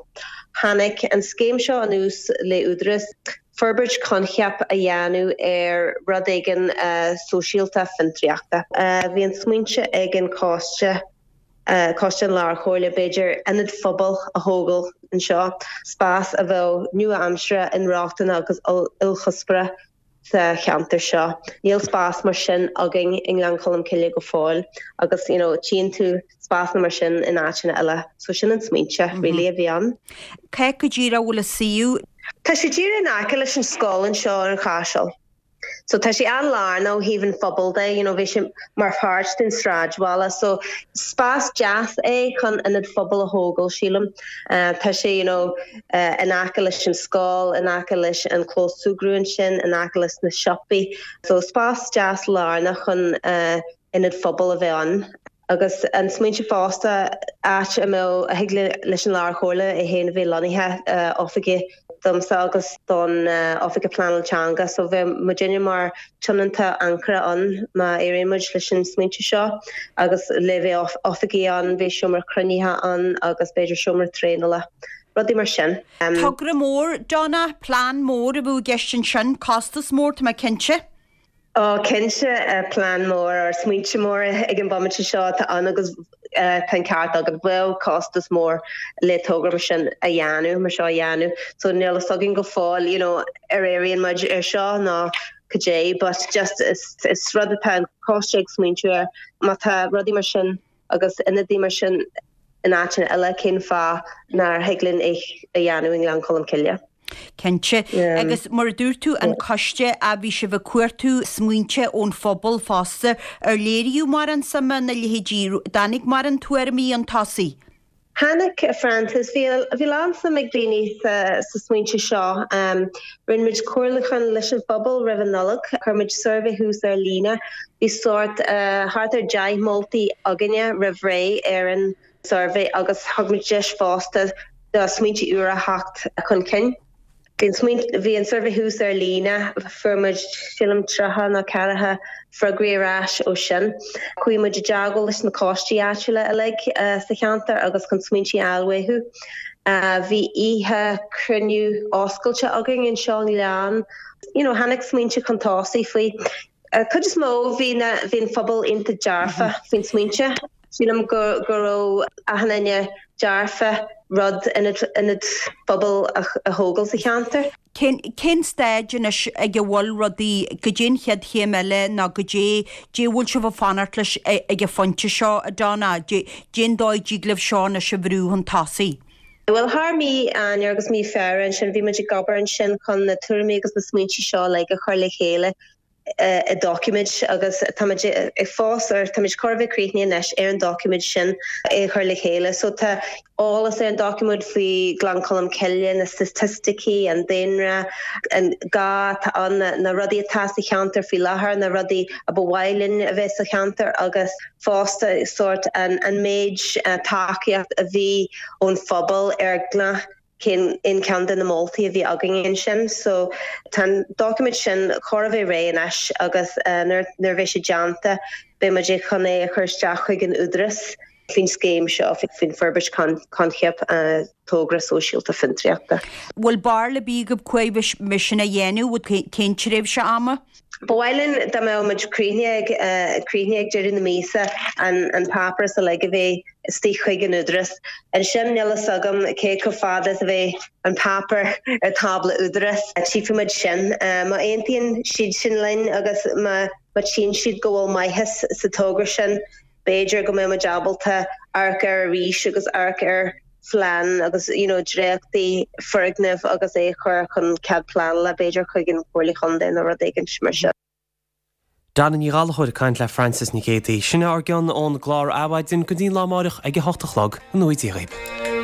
Tháinig an scéim seo anuas le Údarás forbairt coincheap a dhéanamh ar rud éigin sóisialta fiontraíochta. Bhí an smaointe ag an choiste Coiste an Lár-Chomhairle b'fhéidir ionad phobail a thógáil anseo, spás a bheadh nua-aimseartha, inrochtana agus ilchuspóra sa cheantar seo. Níl spás mar sin againn i nGleann Cholm Cille go fóill agus you know tchíonn tú spásanna mar sin in áiteanna eile. So sin an smaointe really a bhí ann. Cá go díreach a bhfuil an suíomh? Tá sé díreach in aice leis an scoil anseo ar an Chaiseal. So tá sé an-lárnach ó thaobh an phobail de, you know, bhí sé mar pháirt den sráidbhaile, so spás deas é chun ionad phobail a thógáil, sílim. Uh, tá sé you know, uh, in aice leis an scoil, in aice leis an clós súgartha ansin, in aice leis na siopaí. So spás deas lárnach chun uh, ionad phobail a bheith ann. Agus an smaointe fosta áit a mbeadh a thig leis an Lár-Chomhairle é féin a bheith lonnaithe oifigí domsa agus don Oifigeach Pleanála Teanga so bheadh muidinne mar tionónta ancaire ann má éiríonn muid leis an smaointe seo agus le bheith oifigí ann, bheadh seomra cruinnithe ann agus b'fhéidir seomra traenála. Rudaí mar sin. Togra mór, Donna, plean mór a bheadh i gceist ansin, costas mór, tá mé cinnte. Ó cinnte plean mór ar smaointe mór ag an bhomaite seo atá ann agus tá an ceart agat bheadh costas mór le togra mar sin a dhéanamh mar seo a dhéanamh. So níl a fhios againn go fóill you know, ar éiríonn muid ar seo ná cad é, but just is, is rud atá an coiste ag smaointiú air má tá rudaí mar sin agus ionadaí mar sin in áiteanna eile cén fáth nár thig linn é a dhéanamh i nGleann Cholm Cille. Cinnte. Agus mar a dúirt tú, an coiste, a bhí sibh ag cuartú smaointe ón phobal fosta, ar léiríodh mórán suime ina leithéidí, dtáinig mórán tuairimí chun tosaigh? Tháinig, a Frances, bhí bhí lán suim ag daoine sa, sa smaointe seo. Um, rinne muid comhairliúchán leis an phobal roimh an Nollaig, chuir muid suirbhé thuas ar líne, bhí sórt uh, thart ar deich moltaí againne roimh ré ar an suirbhé agus thug muid deis fosta do smaointe úra theacht chun cinn. Bhí an smaoint bhí an suirbhé thuas ar líne, fuair muid sílim tríocha nó ceathracha freagraí ar ais ó sin. Chuaigh muid i dteagmháil leis na coistí áitiúla uilig sa cheantar agus chun smaointe a fháil uathu. Bhí oíche cruinniú oscailte againn anseo i nGleann. You know, tháinig smaointe chun tosaigh faoi. Cuid is mó bhí na bhí an phobal iontach dearfa faoin smaointe. Sílim go go raibh achan duine dearfa rud ionad ionad phobail a a thógáil sa cheantar. Cén cén staid anois ag a bhfuil rudaí, goidé an chéad chéim eile nó goidé dé bhfuil sibh ag fanacht leis ag an phointe seo, a Donna, cén dóigh a dtig libh seo anois a bhrú chun tosaigh? Bhuel thar mí Eanáir agus mí Feabhra ansin bhí muid ag obair ansin chun na tuairimí agus na smaointe seo uilig a chur le chéile i doiciméid agus táimid ag fás ar táimid chóir a bheith críochnaithe anois ar an doiciméad sin é a chur le chéile. So tá eolas ar an doiciméad faoi Ghleann Cholm Cille, na staitisticí, an daonra, an gá atá ann, na rudaí atá sa cheantar faoi láthair, na rudaí a ba mhaith linn a bheith sa cheantar agus fosta sórt an an méid tacaíocht a bhí ón phobal ar gach cén aon ceann de na moltaí a bhí againn ansin. So tá an doiciméad sin chóir a bheith réidh anois agus nuair nuair a bheidh sé déanta beidh muid chun é a chur isteach chuig an Údarás faoin scéim seo faoin forbairt coincheap togra sóisialta fiontraíochta. Bhfuil barúil ar bith agaibh cá fhad a bheidh sin a dhéanamh, cén tréimhse ama? Ba mhaith linn dá mbeadh muid críochnaithe ag críochnaithe ag deireadh na míosa an an páipéar uilig a bheith istigh chuig an Údarás. Ansin níl a fhios agam cé chomh fada is a bheidh an páipéar ar tábla Údarás. Tchífidh muid sin. Má aontaíonn siad sin linn agus má má tchíonn siad go bhfuil maitheas sa togra sin, b'fhéidir go mbeidh muid ábalta amharc air arís agus amharc ar phlean agus you know dréachtaí foirgneamh agus é a chur chun cead pleanála b'fhéidir chuig an Chomhairle Chontae nó rud éigin mar sin. Donna Ní Ghallchóir ag caint le Frances Nic Géadaigh. Sin ár gcion ón gclár Adhmhaidin go dtí lá amárach ag a hocht a chlog. Go ngnóthaí Dia dhaoibh.